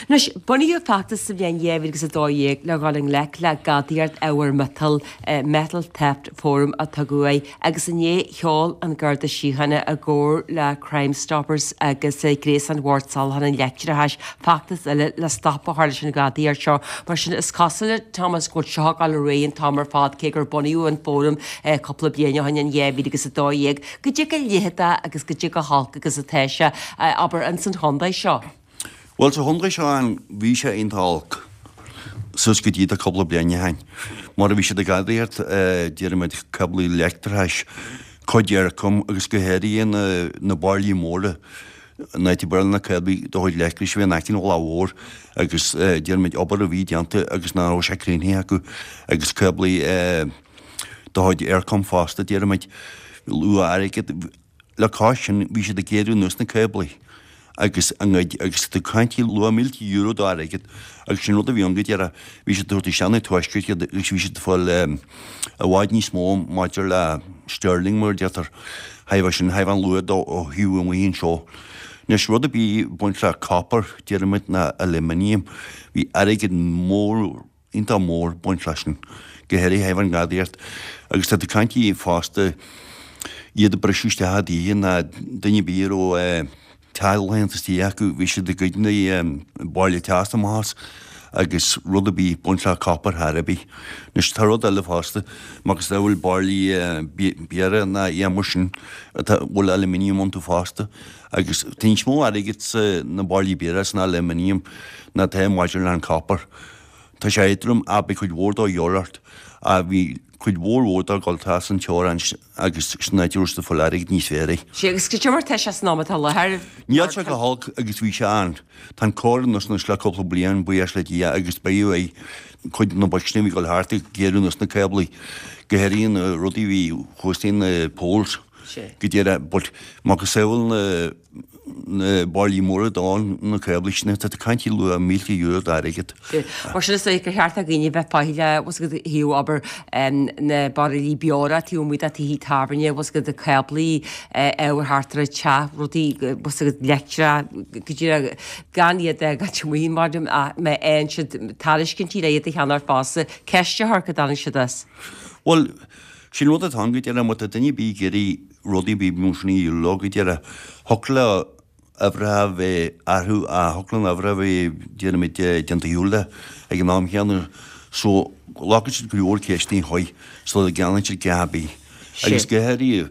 Anois, bunaíodh feachtas sa bhliain 2012 le dhul i ngleic le gadaíocht ábhair miotail, Metal Theft Forum a tugadh air, agus inné sheol an Garda Síochána i gcomhar le Crimestoppers agus Gréasán Bhord Soláthair an Leictreachais feachtas eile le stop a chur leis an ghadaíocht seo. Mar sin, is cosúil, a Thomas, go bhfuil seo ag dul ar aghaidh an t-am ar fad, cé gur bunaíodh an fóram cúpla bliain ó shin in 2012. Goidé chomh leitheadach agus goidé chomh holc agus atá sé, abair, ins an chontae seo. Bhuel, sa chontae seo an, bhí sé iontach olc suas go dtí tá cúpla bliain ó shin. Mar a bhí siad ag gadaíocht, déarfaimid, cáblaí leictreachais, cuid Eircom agus go háirithe na, na bairillí móra, an áit a bhfuil na cáblaí de chuid leictreachais a bhí in aice an Mhullaigh Mhóir agus déarfaimid obair a bhí déanta agus nach raibh sé críochnaithe acu agus cáblaí de chuid Eircom fosta, déarfaimid, luach airgid. Le cois sin, bhí siad ag gearradh anuas na cáblaí agus a ngoid agus tá tú ag caint luach mílte euro d'airgead agus sin rud a bhí ann go deireadh. Bhí siad ag tabhairt isteach na tuaiscirt iad agus bhí siad ag fáil i bhfad níos mó maidir le sterling mar a deirtear. Thaobh sin, thaobh an luath dó ó thaobh amuigh anseo. Anois rud ar bith ag baint le copper, déarfaimid, ná aluminium, bhí airgead mór, iontach mór ag baint leis sin, go háirithe thaobh an ghadaíocht. Agus tá tú ag caint fosta, iad ag briseadh isteach i dtithe ná duine ar bith a raibh teaghlach istigh acu, bhí siad ag goid na bairillí teasa amach as agus rud ar bith ag baint le copper thar ar bith. Anois tá rud eile fosta, macasamhail bairillí beoir ná aon mar sin atá, bhfuil aluminium iontu fosta agus tá níos mó airgid sa na bairillí beoir san aluminium ná atá maidir le an copper. Tá sé éadrom ach beidh cuid mhór dó dhíobháil ort. Ach bhí cuid mhór mhór dó ag dul trasna an teorainn agus sin áit a raibh siad ag fáil airgead níos fearr air. Sea, agus cad é mar tá sé san am atá i láthair? Níl sé go holc agus bhí sé ann. Tá an cóir anuas anois le cúpla bliain, buíochas le Dia, agus beidh uaidh cuid de na boic sin a bhí ag dul thart ag gearradh anuas na cáblaí, go háirithe na rudaí a bhí thuas na poles go deireadh, but macasamhail na na bairillí móra donn, na cáblaí sin, tá tú ag caint luach mílte euro d'airgead. Mar sin is dóigh gur cheart do dhaoine bheith faichilleach, bhfuil 's agat, thaobh abair na bairillí beora taobh amuigh de tithe tábhairne, bhfuil 's agat, cáblaí ábhair thart ar an teach, rudaí, bhfuil 's agat, leictreach, go díreach gan iad a fhágáilt amuigh mar má fhaigheann siad tairiscintí le iad a cheannach fosta, ceist a chur cá dtagann siad as. Bhuel, sin rud atá ann go deireadh, má tá duine ar bith ag iarraidh rudaí ar bith mar sin a dhíol leo go deireadh. Thiocfadh le uimhreacha a bheith athrú ach thiocfadh le an uimhir a bheith déarfaimid déanta shiúl de ag an am chéanna so glacann siad go leor ceisteanna chuige sula gceannaíonn siad a dhath ar bith. Agus go háirithe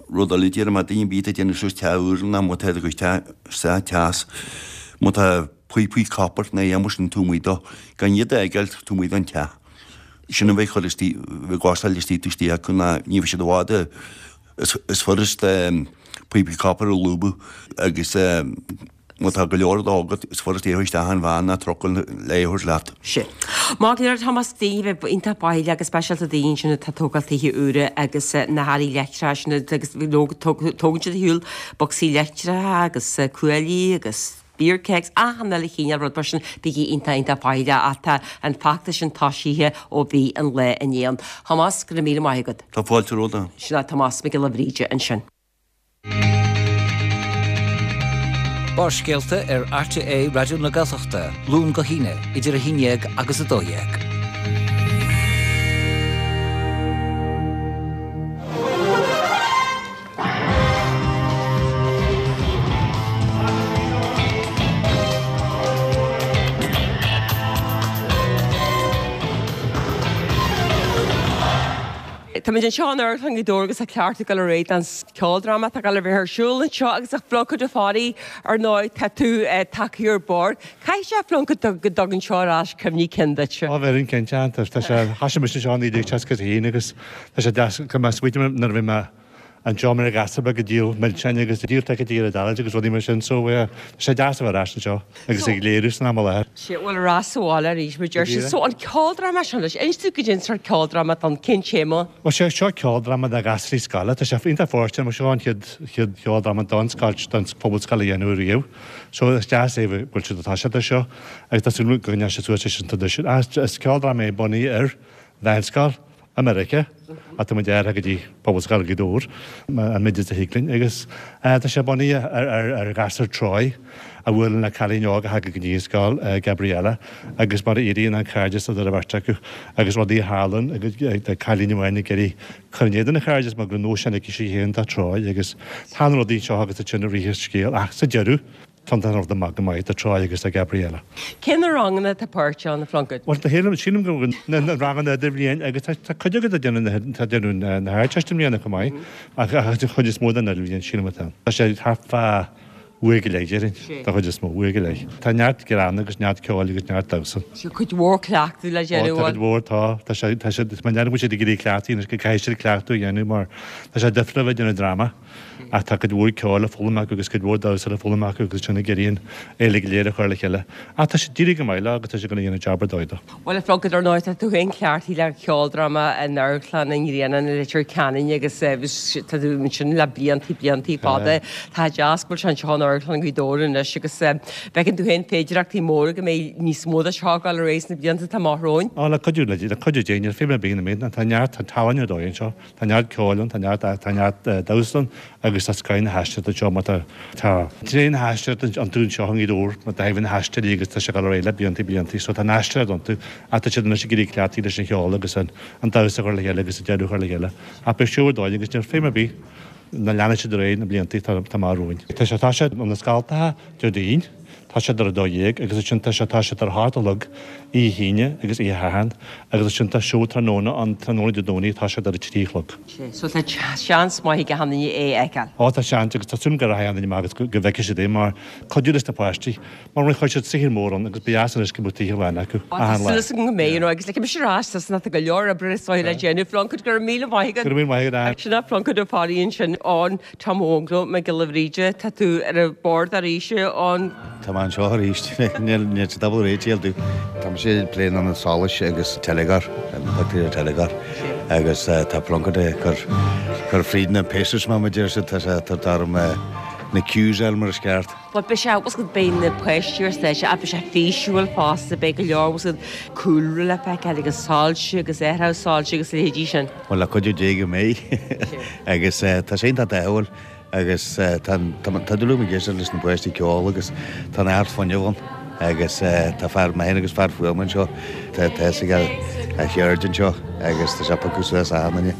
rud eile déarfaidh mé duine ar bith atá ag déanamh suas teach úr ná má tá do chuid teach teas má tá píopaí copper nó aon mar sin taobh amuigh dó gan iad a fhágáil taobh amuigh den teach. Sin a bheidh chur istigh, bheidh gásáil istigh taobh istigh acu ná ní bheidh siad i bhfad is furast píopaí copper a lúbadh agus má tá go leor dó agat is furast é a chur isteach in veain ná trucail le é a thabhairt leat. Sin. Maith go leor Tomás, daoine a bheith iontach faichilleach go speisialta daoine ansin atá ag tógáil tithe úra agus na hearraí leictreacha sin agus tógann siad ar shiúl bocsaí leictreacha agus cuaillí agus beer kegs, achan uile chineál rud mar sin, bígí iontach iontach faichilleach ach tá an feachtas sin toisithe ó bhí an lá inné ann. Tomás, go raibh míle maith agat. Tá fáilte romhat. Sin é Tomás Mac Giolla Bhríde ansin. Barrscéalta ar RTÉ Raidió na Gaeltachta, Luan go hAoine, idir 11 agus 12. Táimid anseo in Amharclann Ghaoth Dobhair agus tá cleachtadh ag dul ar aghaidh don cheoldráma atá ag dul a bheith ar siúl anseo agus a Phluincéid Ó Fearraigh, ar ndóigh, tá tú tagtha ar bord. Caithfidh sé, a Phluincéid, go dtugann seo ar ais cuimhní cinn duit. Á bheireann cinnte, tá sé, thoisigh mise anseo i 1961 agus tá sé deas go mbeadh smaointe nuair a bhí mé anseo mar ghasúr beag ag díol milseáin agus ag díol ticéidí ar an Dáil agus rudaí mar sin so eh tá sé deas a bheith ar ais anseo agus ag léiriú san am i láthair. Sea, bhuel ar ais sa bhaile arís mar deir siad. So an ceoldráma seo anois, inis dúinn goidé an sórt ceoldráma atá ann, cén téama? Bhuel sé seo ceoldráma do ghasraí scoile, tá sé iontach fóirsteanach mar seo an chéad chéad cheoldráma don scoil don phobal scoile a dhéanamh riamh. So is deas é go bhfuil siad ag toiseacht air seo agus tá súil agam go gcoinneoidh siad suas leis an traidisiún. Is ceoldráma é bunaithe ar mheánscoil. I Meiriceá, ach tá muid athraithe go dtí Pobalscoil Ghaoth Dobhair, an méid is a thig linn, agus tá sé bunaithe ar ghasúr Troy a bhuaileann le cailín óg a thagann go dtí an scoil, Gabriella, agus mar a éiríonn an cairdeas idir an bheirt acu agus rudaí a tharlann agus cailín amháin ag iarraidh cur in éadan an chairdis mar go raibh nóisean aici sí féin do Troy agus tá na rudaí seo agus ansin i rith an scéil ach sa deireadh Tá an rud amach go maith do Troy agus do Gabriella. Cé na ranganna atá páirteach ann, a Phlunkett? Bhuel, sílim, sílim go bhfuil na ranganna idirbhliain agus tá, tá cuid acu ag déanamh na, tá déanamh na hArdteiste i mbliana chomh maith ach, ach an chuid is mó den idirbhliain sílim atá ann. Tá sé thart fá uair go leith déarfainn, don chuid is mó, uair go leith. Tá neart greann agus neart ceoil agus neart damhsa. Tá cuid mhór cleachtadh le déanamh ann. Ó, tá cuid mhór, tá. Tá sé, tá sé, is mar go bhfuil siad ag iarraidh cleachtadh anois go gcaithfidh siad cleachtadh a dhéanamh mar tá sé difriúil a bheith ag déanamh dráma. Ach tá cuid mhór ceoil le foghlaim acu agus cuid mhór damhsa le foghlaim acu agus ansin ag iarraidh an fhéile go léir a chur le chéile. Ach tá siad ag éirí go maith leo agus tá siad ag déanamh jab ar dóigh dó. Bhuel, a Phlunkett, ar ndóigh, tá tú féin cleachtaithe le ceoldráma in Amharclann an Ghrianáin i Leitir Ceanainn agus tá tú ansin le bliantaí, bliantaí fada. Tá deas go bhfuil sé anseo in Amharclann Ghaoth Dobhair anois agus bhfeiceann tú féin féidireachtaí móra go mbeidh níos mó de seo ag dul ar aghaidh sna blianta atá amach romhainn. Á, le cuidiú, le cuidiú Dé, níl feidhm ar bith ina mbeidh, tá neart, tá tallann ar dóigh anseo. Tá neart ceoil ann, tá neart, tá neart damhsa ann agus tá scoth na haisteoireachta anseo mar tá, tá tréith na haisteoireachta iontu anseo i nGaoth Dobhair mar tá na haisteoirí agus tá sé ag dul ar aghaidh le blianta, blianta so tá an aisteoireacht iontu ach tá siad anois ag iarraidh cleachtadh leis an cheol agus an, an damhsa a chur le chéile agus an deireadh a chur le chéile ach beidh siúr dóigh agus níl feidhm ar bith ná leanfaidh siad ar aghaidh na blianta atá amach romhainn. Tá sé, tá sé na Scalltacha Déardaoin. Tá siad ar a 12 agus ansin tá sé tá siad ar a hocht a chlog oíche hAoine agus oíche Shathairn agus ansin tá seó tráthnóna ann tráthnóna Dé Domhnaigh tá siad ar a 3 a chlog. So tá seans maith ag achan duine é a fheiceáil. Ó tá seans agus tá súil agam go rachaidh achan duine amach agus go bhfeicfidh siad é mar cuidiú leis na páistí mar chuir siad saothar mór ann agus ba dheas anois go mbeadh oíche lán acu Ó tá súil agam go mbeidh you know agus ligfidh mise ar ais tusa tá go leor oibre is dóigh le déanamh Plunkett go raibh míle maith agat. Go raibh míle maith agat Ann. Sin é Plunkett Ó Fearraigh ansin ann. Tom Óg Mac Giolla Bhríde, tá tú ar an bord arís ann. Tá mé anseo arís. Níl sé double rate síl tú. Tá mise ag plé na solais agus teilgeoir, an pictiúr teilgeoir agus tá Plunkett ag cur cur fríd na paces mar a deir siad, tá sé tá orm na cues a fháil mar is ceart. Bhuel beidh sé, bhfuil fhios agat, beidh na páistí ar stáitse ach beidh sé físiúil fosta, beidh go leor, bhfuil fhios agat, cúlra le feiceáil agus soilse agus athrú soilse agus a leithéidí sin. Bhuel, le cuidiú Dé go mbeidh. Agus tá sé iontach dathúil agus tá tá dúil agam ag éisteacht leis na páistí ag ceol agus tá neart fuinnimh ann agus tá fear, mé féin agus fear fuaime anseo, tá tá fhios aige a cheird anseo agus tá sé ag piocadh suas achan duine.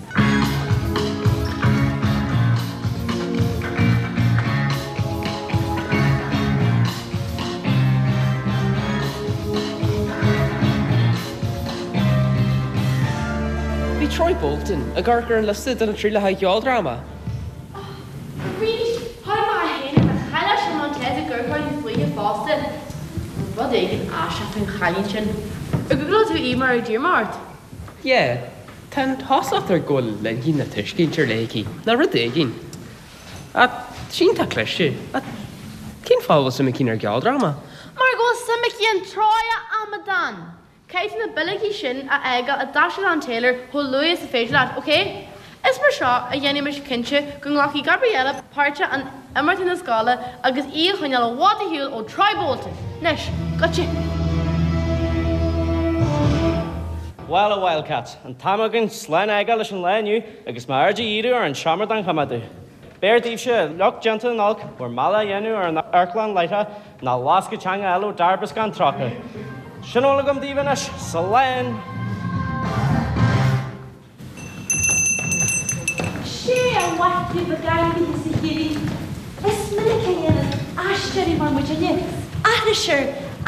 Bhí Troy Bolton ag amharc ar an liosta do na trialacha ceoldráma. Arís, tháinig mé féin ar na chailleach sin Montez ag amharc fúinne fosta. Tá rud éigin aisteach faoin chailín sin. Ar ghúgláil tú í mar a d'iarr mé ort? Yeah, tá an chosúlacht air go bhfuil intinn nó tuiscint ar leith aici, nó rud éigin. Ach tá sí iontach cliste. Ach cén fáth a bhfuil suim aici inár gceoldráma? Mar go bhfuil suim aici in Troy, a amadán! Caithfidh tú na bileogaí sin a fhágáil i dtaisclann Taylor chomh luath is a féidir leat, ok? Is mar seo a dhéanfaimid cinnte go nglacfaidh Gabriella páirt in imeachtaí na scoile agus í a choinneáil i bhfad ar shiúl ó Troy Bolton! Anois, goitse! Bhuel, a Wildcats, an t-am againn slán a fhágáil leis an lá inniu agus m'aird a dhíriú ar an seomra don choimeádadh. B'fhearr daoibhse, lucht déanta na n-olc, bhur mbealach a dhéanamh ar an amharclann láithreach ná lascadh teanga a fháil ó d'fhear 30. Sin a bhfuil agam daoibh anois. Slán! Sé a mhaith libh ag ainmhithe is a chirí. Is minic a dhéanann aisteoirí mar muidinne aithris ar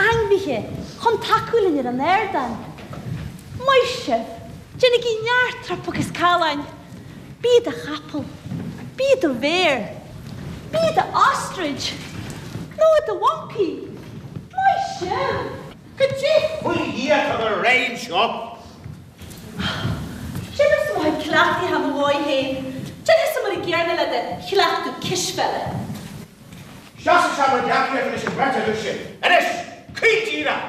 ainmhithe chun tacú linn ar an ardán. Maith sibh! Déanaigí neart trup agus calláin! Bí i do chapall. Bí i do bhéar. Bí i do ostrich. Nó i do mhoncaí. Maith sibh! Cad é faoi Dhia atá ag dul ar aghaidh anseo? Déanamsa mo chuid cleachtaithe mo dhóigh féin. Déanfadsa mar an gcéanna le do chleachtadh cispheile. Isteach sa seomra gleacaíochta leis an bheirt agaibh sin. Anois, caol díreach!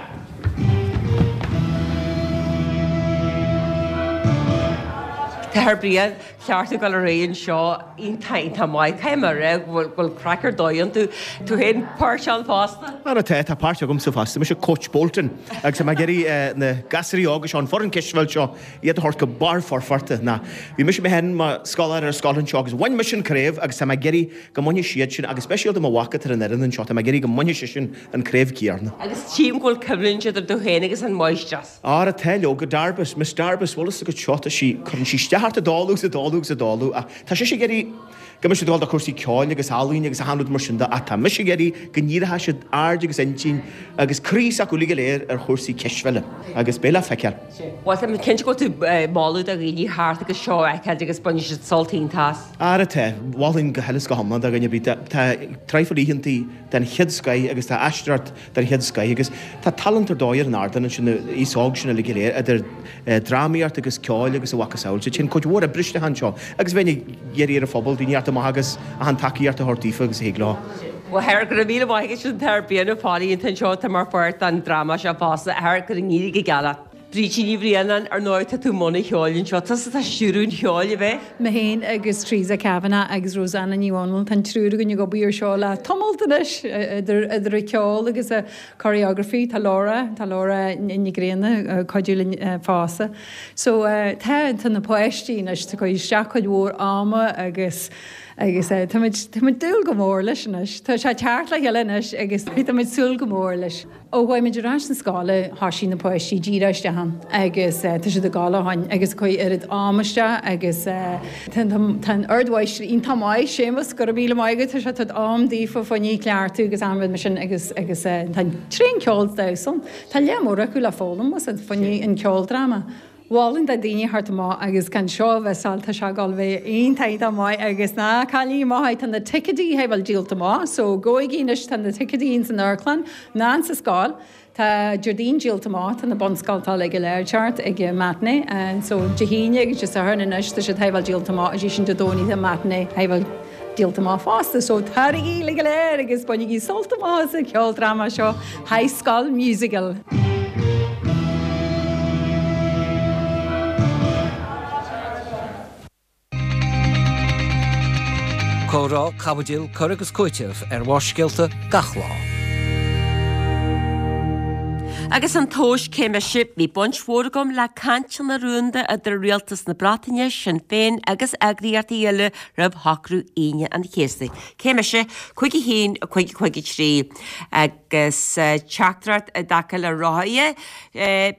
Tá Brian, ceart ag dul ar aghaidh anseo iontach iontach maith. Caithfidh mé a rá go bhfuil craic ar dóigh iontu. Tú féin páirt ann fosta? Ara tá, tá páirt agamsa fosta. Mise Coach Bolton agus tá mé ag iarraidh na gasúirí óga seo, an foireann cispheil seo, iad a thabhairt go barr foirfeachta. Ná, bhí mise mé féin mar scoláire ar scoil anseo agus bhain mise an craobh agus tá mé ag iarraidh go mbainfidh siad sin agus speisialta mo mhac atá ar an fhoireann anseo, tá mé ag iarraidh go mbainfidh seisean an craobh céanna. Agus tchím go bhfuil coimhlint idir tú féin agus an mháistreás. Ara tá, leoga, Darbus, Miss Darbus, bhfuil fhios agat seo, tá sí, cuireann sí isteach ort ag dul agus ag dul agus ag dul ach tá sise ag iarraidh go mbeidh siad ag dul do chúrsaí ceoil agus ealaíne agus achan rud mar sin de ach tá mise ag iarraidh go ndíreoidh siad aird agus intinn agus croí s'acu uilig go léir ar chúrsaí cispheile agus beidh le feiceáil. Bhuel, tá mé cinnte go bhfuil tú ag moladh do dhaoine theacht agus seo a fheiceáil agus bainfidh siad sult iontach as. Ara tá, mholfainn go huile is go hiomlán do dhuine ar bith, tá traidhfil oícheantaí den chéad scoith agus tá aisteoireacht den chéad scoith agus tá tallann ar dóigh ar an ardán ansin, an aos óg sin uilig go léir, idir drámaíocht agus ceol agus a mhacasamhail. So téann cuid mhór oibre isteach anseo agus bheinn ag iarraidh ar an phobal daoine a theacht amach agus achan tacaíocht a thabhairt daofa agus a thig leo. Bhuel, a Athair, go raibh míle maith agat sin an tAthair Brian Ó Failligh atá anseo atá mar pháirt den dráma seo fosta. A Athair, go n-éirí go geal leat. Brídín Ní Bhraonáin, ar ndóigh tá tú i mbun an cheoil anseo. Tusa atá ag stiúradh an cheoil, ab é? Mé féin agus Teresa Kavanagh agus Rosanna Ní Dhomhnaill, tá an triúr againn ag obair ar seo le tamalt anois, idir idir an ceol agus an choreography. Tá Laura, tá Laura Ní Ghrianna ag cuidiú linn fosta. So tá, tá na páistí anois, tá cur isteach cuid mhór ama agus agus táimid, táimid dúil go mór leis anois. Tá sé ag teacht le chéile anois agus táimid súil go mór leis. Ó chuaigh muid ar ais na scoile thoisigh na páistí díreach isteach ann agus tá siad ag gabháil ó shin agus ag cur oiread ama isteach agus tá an ardmháistir iontach maith, Séamus, go raibh míle maith agat, tá sé ag tabhairt am daofa fá choinne cleachtadh agus achan rud mar sin agus agus tá tréan ceol is damhsa ann. Tá lear mór acu le foghlaim fá choinne an ceoldráma. Mholfainn do daoine theacht amach agus gan seo a mhissáil, tá sé ag dul a bheith iontach iontach maith agus ná cailligí amach é, tá na ticéidí a bhfuil díolta amach so gabhaigí anois, tá na ticéidí ins an amharclann ná ins an scoil, tá Déardaoin díolta amach, tá na bunscoltacha uilig go léir thart ag an matinee so Dé hAoine agus Dé Sathairn anois tá siad a bhfuil díolta amach is sin Dé Domhnaigh tá matinee a bhfuil díolta amach fosta so taraigí uilig go léir agus bainigí sult amach as an cheoldráma seo High School Musical. Comhrá, caibidil, cur agus cúiteamh ar Bharrscéalta gach lá. Agus an tomhas cé mise, bhí baint mhór agam le cainteanna rúnda idir Rialtas na Breataine, Sinn Féin agus eagraíochtaí eile roimh shocrú Aoine an Chéasta. Cé mise? 5 1 5 5 3. Agus teachtaireacht i dtaca le rothaithe,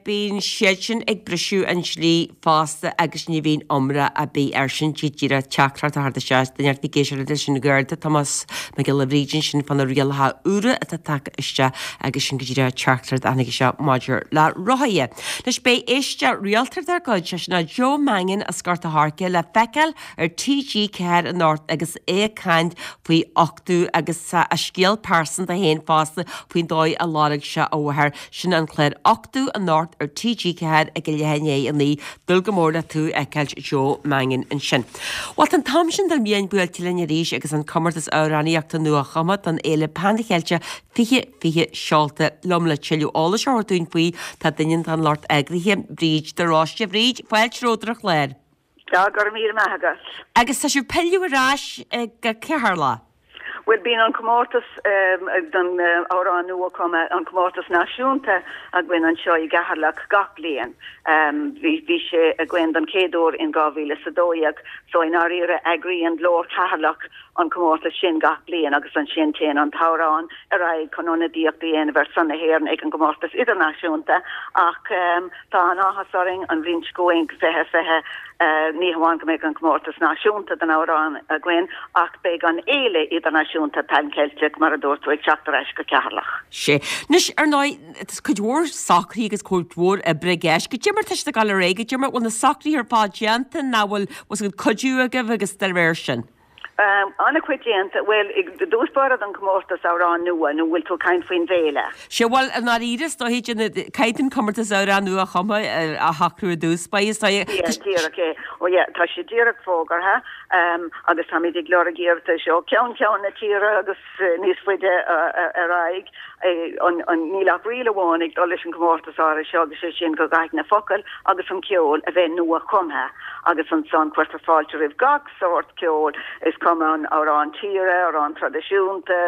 bíonn siad sin ag briseadh an dlí fosta agus ní bhíonn iomrá ar bith air sin. Díreach teachtaireacht a theacht isteach duine ag éisteacht leis an Gharda Tomás Mac Giolla Bhríde ansin fá na rialacha úra atá tagtha isteach agus sin go díreach teachtaireacht a tháinig isteach maidir le rothaithe. Anois beidh éisteoir rialta dár gcuid, sé sin Joe Mannion as Gort a' Choirce le feiceáil ar TG4 anocht agus é ag caint faoi uchtú agus a scéal pearsanta féin fosta faoin dóigh a lorg sé a mháthair. Sin an clár Uchtú anocht ar TG4 ag a leath i ndiaidh a 9. Dúil go mór le tú a fheiceáilt Joe Mannion ansin. Bhuel tá an t-am sin don bhliain buailte linn arís agus an comórtas amhránaíochta nua-chumtha don Fhéile Pan Cheilteach 2020 seolta liom le tuilleadh eolais a thabhairt dúinn faoi tá duine den lucht eagraithe, Bríd de Róiste. Bhríd, fáilte romhat ar an chlár. Tá, go raibh míle maith agat. Agus tá sibh ag pilleadh ar ais go Ceatharlach. Bhuel, bíonn an comórtas don amhrán nua-chumtha, an comórtas náisiúnta againn anseo i gCeatharlach gach bliain. Bhí sé againn don chéad uair in 2012, so i ndáiríre eagraíonn Glór Cheatharlach an comórtas sin gach bliain agus ansin téann an t-amhrán ar aghaidh chun ionadaíocht a dhéanamh ar son na hÉireann ag an gcomórtas idirnáisiúnta ach Tá an-áthas orainn an bhliain seo chugainn, 2020, ní hamháin go mbeidh an comórtas náisiúnta don amhrán againn ach beidh an Fhéile Idirnáisiúnta Pan Cheilteach, mar a dúirt tú, ag teacht ar ais go Ceatharlach. Sea. Anois, ar ndóigh, tá cuid mhór socruithe agus cuid mhór oibre i gceist. Goidé mar tá siad ag dul ar aghaidh, goidé mar bhfuil na socruithe ar fad déanta, nó bhfuil, bhfuil cuidiú agaibh agus dá réir sin? An-chuid déanta. Bhuel, i dtús báire don chomórtas Amhrán Nua, nó bhfuil tú ag caint faoin bhféile? Sea, bhuel, i ndáiríre, is dóiche, caithfidh an comórtas Amhrán Nua-Chumtha a shocrú i dtús báire, is dóiche. Yeah, díreach é. Ó yeah, tá sé díreach fógartha agus táimid ag lorg iarratais ó cheann ceann na tíre agus níos faide ar aghaidh. Níl ach riail amháin ag dul leis an gcomórtas áirithe seo agus sé sin go gcaithfidh na focail agus an ceol a bheith nua-chumtha agus ansan cuirtear fáilte roimh gach sórt ceoil, is cuma an amhrán tíre, amhrán traidisiúnta,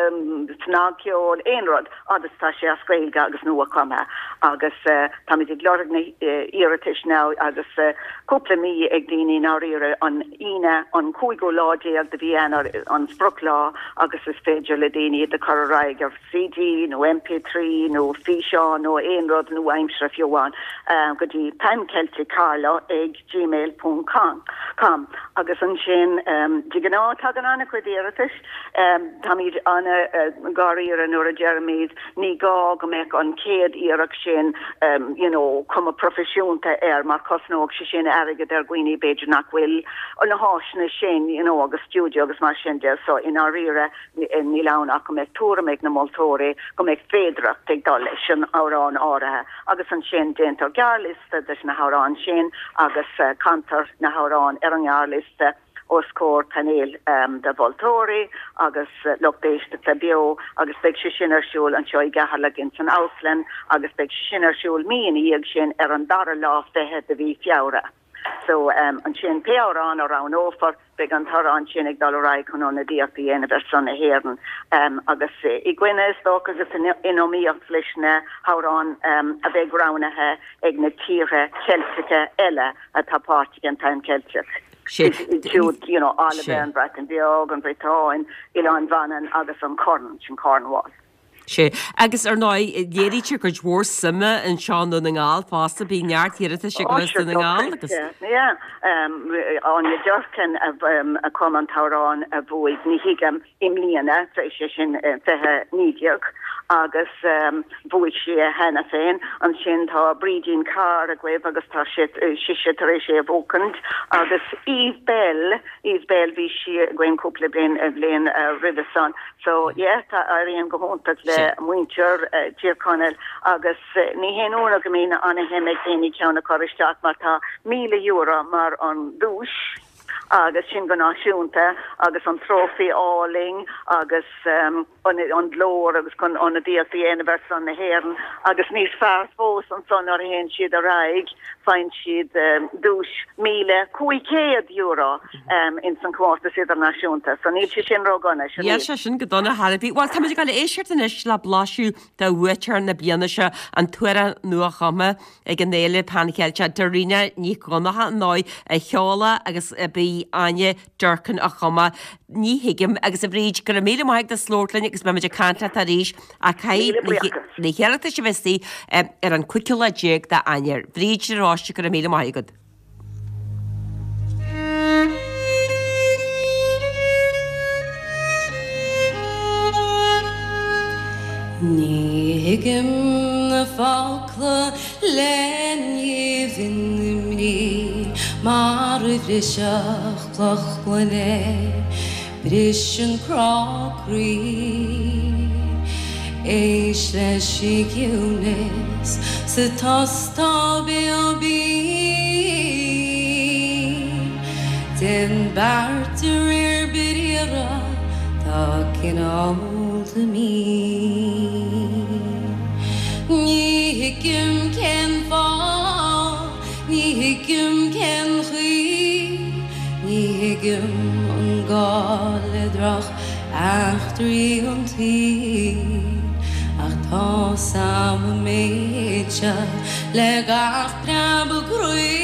snagcheol, aon rud, fhad is atá sé as Gaeilge agus nua-chumtha. Agus táimid ag lorg na hiarratais now agus cúpla mí ag daoine i ndáiríre, an Aoine an cúigiú lá déag de mhí Eanáir an sprioclá agus is féidir le daoine iad a chur ar aghaidh ar CD nó MP3 nó físeán nó aon rud nua-aimseartha fiú amháin go dtí pancelticcarlow ag gmail ponc com agus ansin de ghnáth tagann an-chuid iarratais. Táimid an-dháiríre nuair a deirimid ní gá go mbeadh an chéad iarracht sin you know cuma proifisiúnta air mar chosnódh sé sin airgead ar dhaoine b'fhéidir nach bhfuil na háiseanna sin you know agus stiúideo agus mar sin de so i ndáiríre níl ann ach go mbeadh tuairim ag na moltóirí go mbeadh féidearthacht ag dul leis an amhrán áirithe agus ansin déantar gearrliosta de na hamhráin sin agus cantar na hamhráin ar an ngearrliosta os comhair painéil de mholtóirí agus lucht éisteachta beo agus beidh sé sin ar siúl anseo i gCeatharlach ins an amharclann agus beidh sé sin ar siúl mí ina dhiaidh sin ar an dara lá fichead de mhí Feabhra. So ansin pé amhrán a roghnófar Beidh an t-amhrán sin ag dul ar aghaidh chun ionadaíocht a dhéanamh ar son na hÉireann agus i gcoinne, is dócha, agus in iomaíocht leis na hamhráin a bheidh roghnaithe ag na tíortha Ceilteacha eile atá páirteach in Pan Ceilteach. Siúd, you know, Albain, an Bhreatain Bheag, an Bhriotáin, Oileán Mhanann agus an Chorn, sin Cornwall. Sea, agus ar ndóigh, léirítear cuid mhór suime anseo i nDún na nGall fosta, bíonn neart iarratais ag dul as Dún na nGall agus. Yeah, Áine Durkin a chum an t-amhrán a bhuaigh Ní Thuigim i mbliana, sé sin 2019, agus bhuaigh sí é cheana féin. Ansin tá Brídín Carr agaibh agus tá sise tar éis é a bhuachaint agus Eve Belle, Eve Belle, bhí sí againn cúpla bliain roimhe san. So yeah, tá éiríonn go hiontach le muintir Tír Chonaill agus ní haon ionadh go mbíonn ana-shuim ag daoine ceann a chur isteach mar tá €1,000 mar an duais agus sin go náisiúnta agus an trófaí álainn agus an glór agus chun ionadaíocht a dhéanamh ar son na hÉireann agus níos fearr fós ansan nuair a théann siad ar aghaidh faigheann siad duais €1,500. ins an chomórtas idirnáisiúnta. So níl sé sin ró-dhona, sin Níl sé sin go dona chor ar bith. Bhuel, táimid ag dul a éisteacht anois le blaiseadh de bhuaiteoir na bliana seo, an t-amhrán nua-chumtha ag an Fhéile Pan Cheilteach, Dairena Nic Dhonncha, ar ndóigh, a cheol agus a b'í Áine Durkin a chum é. Ní thuigim. Agus a Bhríd, go raibh míle maith agat as labhairt linn agus beimid ag caint leat arís ach caithfidh na hiarratais a bheith istigh ar an 15ú lá d'Eanáir. Bríd de Róiste, go raibh míle maith agat. Ní thuigim na focla le nimh na mbrí mar a bhrisfeadh cloch gloine. Briseann crá croí. Éist leis an gciúnas sa tost tá béal binn. Déan beart de réir briathra, tá cineálta mín. Ní thuigim cén fáth. Ní thuigim cén chaoi, ní thuigim an gá le droch eachtraí an tsaoil, ach tá's a'm an méid seo le gach preabadh croí,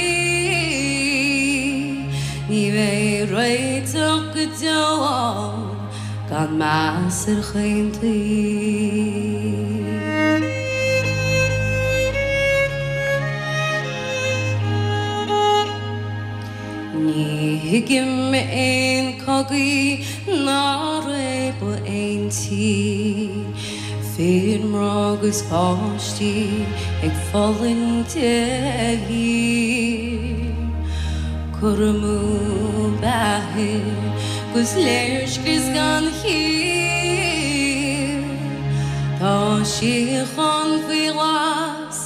ní bheidh réiteach go deo ann gan meas ar chaon taobh. Ní thuigim aon cogaí ná réabadh aon tír, fir, mná agus páistí ag fulaingt de shíor. Cur amú beatha. 'Gus léirscrios gan chiall. Tá síocháin faoi ghlas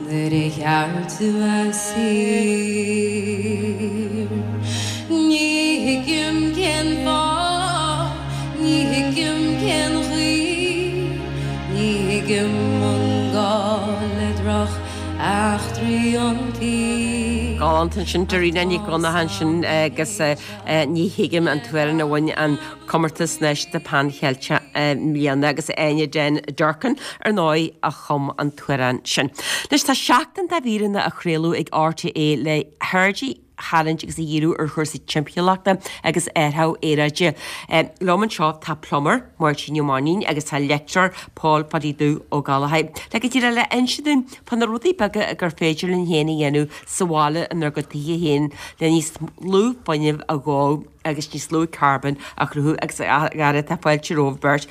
nuair a ghearr tú a saor. Ní thuigim cén fáth, ní thuigim cén chaoi, ní thuigim an gá le droch eachtraí an tsaoil. Galánta ansin, Dairena Nic Dhonncha ansin agus Ní Thuigim an t-amhrán a bhain an comórtas náisiúnta Pan Cheilteach i mbliana agus Áine Den Durkin ar ndóigh a chum an t-amhrán sin. Anois tá seachtain de mhíreanna á chraoladh ag RTÉ le haird a tharraingt agus a dhíriú ar chúrsaí timpeallachta agus athrú aeráide. Liom anseo tá plumber, Máirtín Ó Mainnín agus tá leictreoir Paul Phadaí Dubh Ó Gallchóir. Le go díreach le inse dúinn fá na rudaí beaga gur féidir linn féin a dhéanamh sa bhaile inár gcuid tithe féin le níos lú fuinnimh a dhó agus níos lú carbóin a chruthú agus a fheara tá fáilte romhaibh beirt.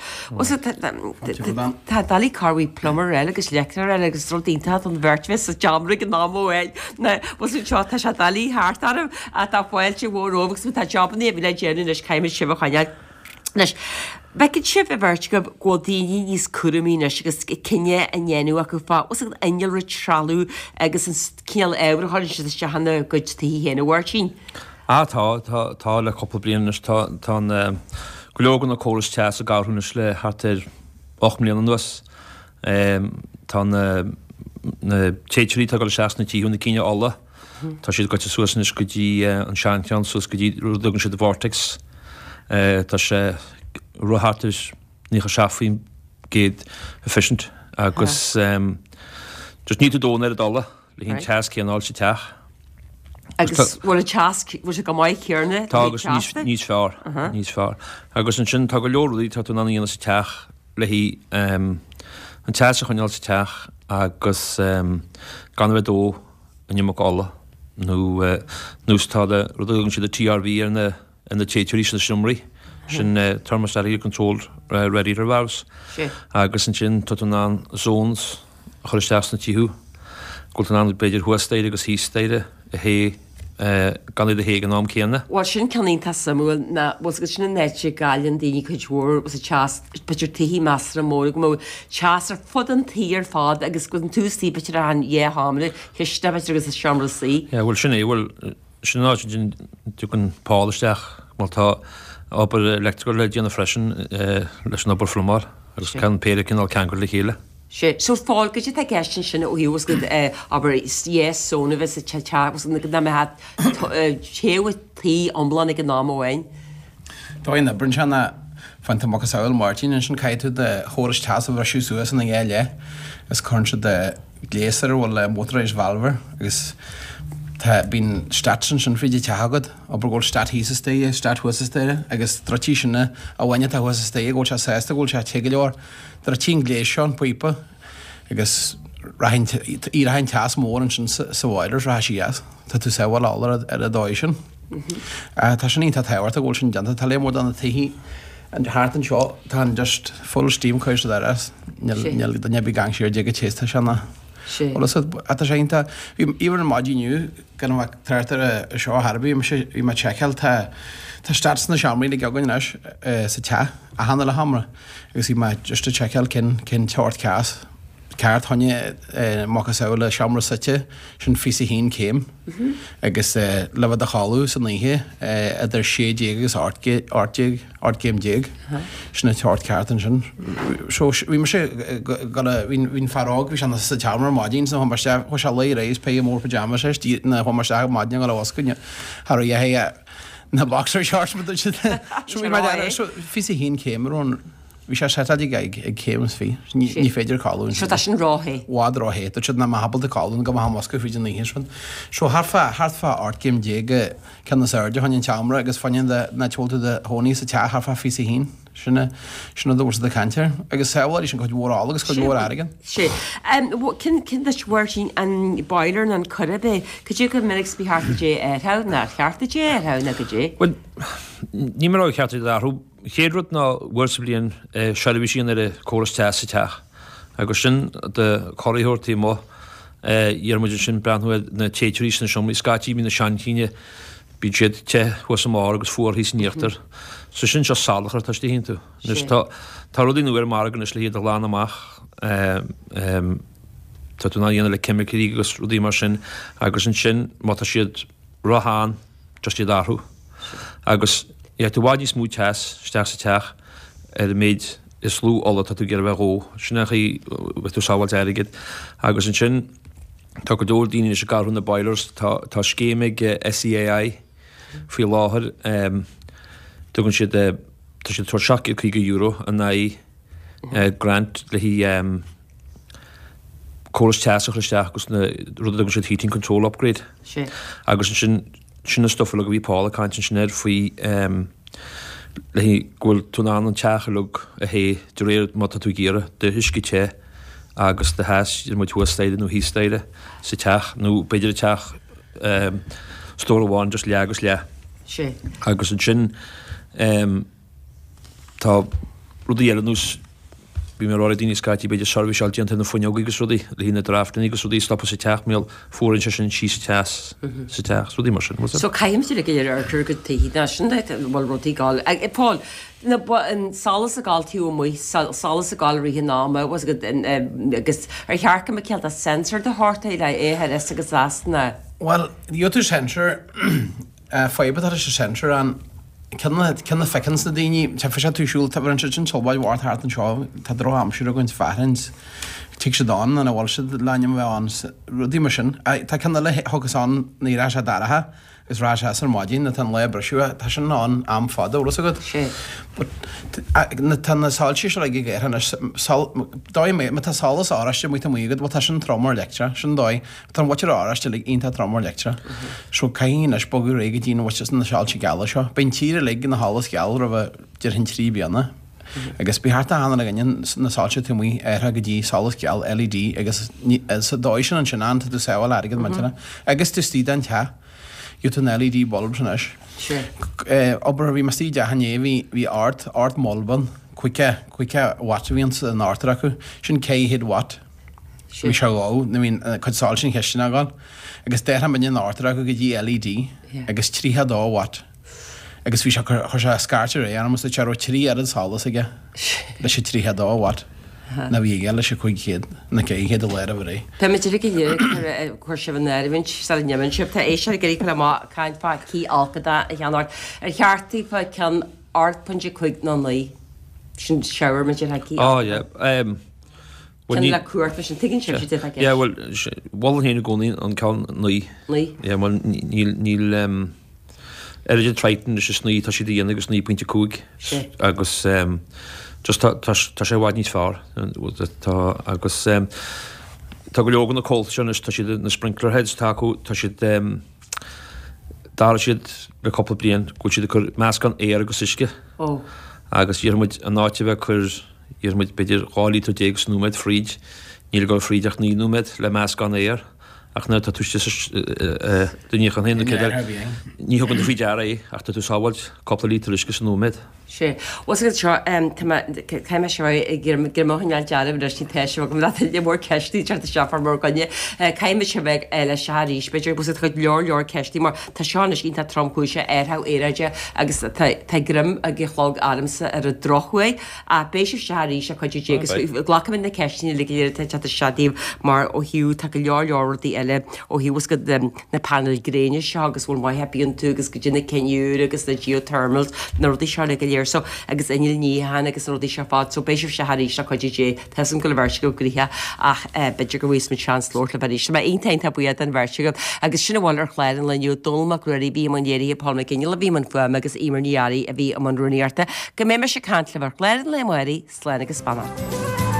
Tá doiligh corrmhaith plumber eile agus leictreoir eile agus rud iontach don bheirt bheith sa tseomra ag an am amháin. Na bhfuil seo tá sé doiligh thart orm ach tá fáilte mhór romhaibh agus tá jobanna a bhí le déanamh anois caithfimid sibh a choinneáil. Anois, bhfeiceann sibh an bheirt agaibh go bhfuil daoine níos cúramaí anois agus cinneadh á ndéanamh acu fá bhfuil an innealra trealamh agus an cineál ábhair a chuireann siad isteach ina gcuid tithe féin, a Mháirtín? Ah tá, tá, tá le cúpla bliain anois. Tá, tá an, go leor de na córais teas ag athrú anois le thart ar 8 mbliana anuas. Tá na, na téiteoirí atá ag dul isteach sna tithe, na cinn ola, Tá siad gaibhte suas anois go dtí an seancheann, suas go dtí rud a dtugann siad Vortex. Tá sé rud thart ar 97% efficient agus just ní tú ag dó an oiread ola le haghaidh an teas céanna a fháil sa teach. Agus bhfuil an teas, bhfuil sé go maith céarna? Tá agus níos fearr, níos fearr. Agus ansin tá go leor rudaí atá tú in ann a dhéanamh sa teach le haghaidh an teas a choinneáil sa teach agus gan a bheith ag dó an iomarca ola nó nós tá le rud a thugann siad TRV ar na ar na téiteoirí sna seomraí sin thermostatically controlled radiator valves agus ansin tá tú in ann zones a chur isteach sna tithe go bhfuil tú in ann b'fhéidir thuas staighre agus thíos staighre a théamh gan iad a théamh ag an am céanna. Bhuel sin ceann iontach suimiúil ná bhfuil 's agat sin an áit a gcailleann daoine cuid mhór sa teas b'fhéidir tithe measartha mór go mbeadh teas ar fud an tí ar fad agus go bhfuil tú istigh b'fhéidir achan dhá sheomra, chistin b'fhéidir agus an seomra suí. Yeah bhuel sin é bhuel sin an áit a dtiocfaidh Paul isteach bhuel tá obair electrical le déanamh freisin leis an obair phluimeáil agus tá an péire cineál ceangailte le chéile. Sea. So Paul, goidé atá i gceist ansin ó thaobh go abair yes zone a bheith sa teach agus go mbeadh téamh an tí iomlán ag an am amháin? Dóigh a n-oibríonn sé ná faigheann tú macasamhail Máirtín ansin caithfidh tú do chóras teas a bhriseadh suas ina dhá leith is cuireann siad gléas air a bhfuil motorised valve air agus tá bíonn stats ansin fríd an teach agat abair go bhfuil stat thíos an staighre stat thuas an staighre agus druidfidh sin an amháin atá thuas an staighre go bhfuil sé sásta go bhfuil sé te go leor Druidfidh an gléas seo an píopa agus rachaidh an teas mór ansin sa bhoiler is rachaidh sí as. Tá tú sábháil ola ar an dóigh sin. Tá sin iontach tábhachtach go bhfuil sin déanta. Tá léar mór de na tithe thart anseo tá an just full steam curtha siad ar as. Níl duine ar bith ag amharc siar dé go téis tá sé ina. Bhuel is tá sé iontach. Bhí even ar maidin inniu gan a bheith trácht ar seo ar bith bhí mé ag seiceáil tá tá stats na seomraí uilig againn anois sa teach achan uile sheomra. Agus bhí mé just ag seiceáil cén cén teocht ceas ceart fá choinne macasamhail seomra suite sin 21 céim agus le bheith i do chodladh san oíche idir 16 agus 18 18 gcéim déag sin an teocht ceart ansin. So bhí mise go bhí bhí an fear óg bhí sé sa tseomra ar maidin so chuaigh mé isteach chuaigh sé a luí arís péire mór pyjamas leis na chuaigh mé isteach ar maidin a dhul a mhuscailt cha raibh a Na boxer shorts ma dúirt siad. So bhí mé ar so 21 céim ar an bhí sé setáilte ag ag céim is fi. Ní ní féidir codladh. So tá sin róthe. Bhfad róthe. Dúirt siad nach mbeadh ábalta codladh go mbeadh an mhuscailt fríd an oíche sin. So thart fá thart fá 18 céim ceann is airde fá choinne an tseomra agus fá choinne an áit a bhfuil tú i do chónaí sa teach thart fá 21. Sin é, sin an dúirt siad ag caint air. Agus sábháil sin cuid mhór ola agus cuid mhór airgid. Sea. Cén, cén duit Mháirtín, an boiler nó an coire b'é? Cad é chomh minic is ba cheart duit é a athrú, nó ar cheart duit é a athrú nó cad é? Bhuel, ní mar a cheart é a athrú. Chéad rud ná uair sa bhliain seirbhís a dhéanamh ar an córas teas sa teach. Agus sin do chóiritheoir taobh amuigh. Iarrann muid ansin breathnú ar na téiteoirí sna seomraí. Scaití bíonn na seanchinn. Bíonn siad te thuas i mbarr agus fuar thíos in íochtar. So sin seo salachar atá istigh iontu. Anois tá tá rudaí nua ar an margadh anois le hiad a ghlanadh amach. Tá tú in ann a dhéanamh le ceimicí agus rudaí mar sin agus ansin má tá siad ró-shean just iad a athrú. Agus gheobhaidh tú i bhfad níos mó teas isteach sa teach ar an méid is lú ola atá tú ag iarraidh a bheith a dhó. Sin an chaoi a bheidh tú ag sábháilt airgid. Agus ansin tá go leor daoine anois ag athrú na boilers. Tá tá scéim ag SEAI faoi láthair tugann siad tá siad ag tabhairt €750 in aghaidh grant le haghaidh córas teas a chur isteach agus na rud a dtugann siad heating control upgrade. Agus ansin sin an stuif uilig a bhí Paul ag caint ansin air faoi le haghaidh go bhfuil tú in ann an teach uilig a théamh de réir má tá tú ag iarraidh do uisce te agus do theas idir muid thuas staighre nó thíos staighre sa teach nó b'fhéidir an teach stór amháin just leath agus leath. Agus ansin Tá rudaí eile ar nós, bhí mé ag rá le daoine scaití, b'fhéidir seirbhíseáil déanta ar na fuinneoga agus rudaí, le haghaidh na draftanna agus rudaí a stopadh sa teach, mar fuaraíonn sé sin síos an teas sa teach, rudaí mar sin. So caithfimid uilig ar ar go tuigfidh ná sin duit an bhfuil rudaí ag gabháil. Paul, na an solas ag gabháil taobh amuigh, solas ag gabháil i rith an ama, was agus ar cheart go mbeadh cineál de sensor de shórt é le é a chur as agus as na. Bhuel, gheobhaidh tú sensor Fadhb atá leis an sensor an ceann a feiceanns na daoine, feicfidh tú siúl, tá an sin tsulbáid mhór thart anseo, tá droch-aimsir againn, fearthainn, tig siad ann ina bhfuil siad le ainm a bheith ann, rudaí mar sin. Tá ceann eile a thiocfas ann nuair atá sé dorcha agus rachaidh sé as ar maidin nuair atá an lá ag briseadh, tá sin ann am fada, bhfuil fhios agat? But tá na soilse seo ag ag anois, dóigh, má tá solas oráiste amuigh amuigh agat, bhuel tá sin trom ar leictreach, sin dóigh. Tá an mhuintir oráiste uilig iontach trom ar leictreach. So caithfidh anois bogadh ar aghaidh go dtí na mhuintir na soilse geala seo. Beidh an tír uilig ina sholas geal roimh déarfainn 3 bliana. Agus beidh thart achan duine againne na soilse taobh amuigh athraithe go dtí solas geal LED agus sa dóigh sin ansin ann tá tú sábháil airgead muinteartha. Agus tú istigh den teach gheobhaidh tú na LED bulbs anois. Obair bhí mé istigh i dteach inné bhí bhí ard ard bulb ann 50 50 watt a bhí ann san ártar acu. Sin 400 watt. Bhí sé dhó, nó bhí an cuid soilse an chistin ag gabháil, agus d'athraigh muidne an ártar acu go dtí LED agus 32 watt. Agus bhí sé, chuir sé scairt ar aghaidh orm agus dúirt sé raibh 3 oiread solas aige leis an 32 watt ná bhí aige leis an 500, na 400 a lá roimh ré. Tá muid uilig go léir ag cur sibh in áirithe sula n-imíonn sibh. Tá éisteoir ag iarraidh cur amach caint fá cith alcadach a cheannacht. Ar cheart daofa ceann 8.5 nó 9? Sin shower muid ar cith Oh yeah. Um, Bhuel, ní. Ceann le cumhacht leis an tuigeann sibh sé de Yeah, bhuel, mholfainn féin i gcónaí an ceann 9. 9. Yeah, bhuel, níl, níl, um, oiread an Triton leis is 9, tá siad a dhéanamh agus 9.5. Sé. Agus, um, just tá, tá, tá sé i bhfad níos fearr. Tá, agus, um, tá go leor de na comhaltaí seo anois, tá siad, na sprinkler heads atá acu, tá siad, um, d'athraigh siad le cúpla bliain go bhfuil siad ag cur meascán aer agus uisce. Ó. Agus déarfaidh muid in áit a bheith ag cur Déarfaidh muid b'fhéidir 12 líotar sa nóiméad fríd, níl ag dul fríd ach 9 nóiméad le meascán aer, ach nuair atá tú istigh sa do níochán féin nó céard eile, ní thugann tú faoi deara é ach tá tú ag sábháilt cúpla líotar uisce sa nóiméad. Sea. Bhuel, sa seo, tá mé, caithfidh mé seo ag iarraidh go mbeadh an neart dealbh anois, ní tá sibh agam le tuilleadh mór ceisteanna teacht isteach fár mór gcoinne. Caithfidh muid sibh ag leis seo arís, b'fhéidir, bhuel, tá go leor leor ceisteanna mar tá seo anois iontach tromchúiseach, athrú aeráide agus tá, tá greim ag an chlog ormsa ar an drochuair. Ach beidh sibh isteach arís le cuidiú Dé agus glacfaidh mé na ceisteanna uilig go léir atá ag teacht isteach daoibh mar ó thaobh tá go leor leor rudaí eile ó thaobh is go na painéil gréine seo agus bhfuil maith ar bith iontu agus go dtí na cinn úr agus na geothermals na rudaí seo uilig go léir so agus innill níocháin agus na rudaí seo fad so beidh sibh isteach arís le cuidiú Dé. Tá 'fhios a'm go bhfuil an bheirt agaibh gnoitheach ach b'fhéidir go bhfaighidh muid seans labhairt libh arís. Tá mé iontach iontach buíoch den bheirt agaibh agus sin a bhfuil ar chlár an lae inniu, Dónall Mac Ruairí a bhí i mbun léirithe, Paul McGinley a bhí i mbun fuaime agus Eimear Ní Fhearraigh a bhí i mbun rúnaíochta. Go mbeidh mise ag caint libh ar chlár an lae amárach, slán agus beannacht.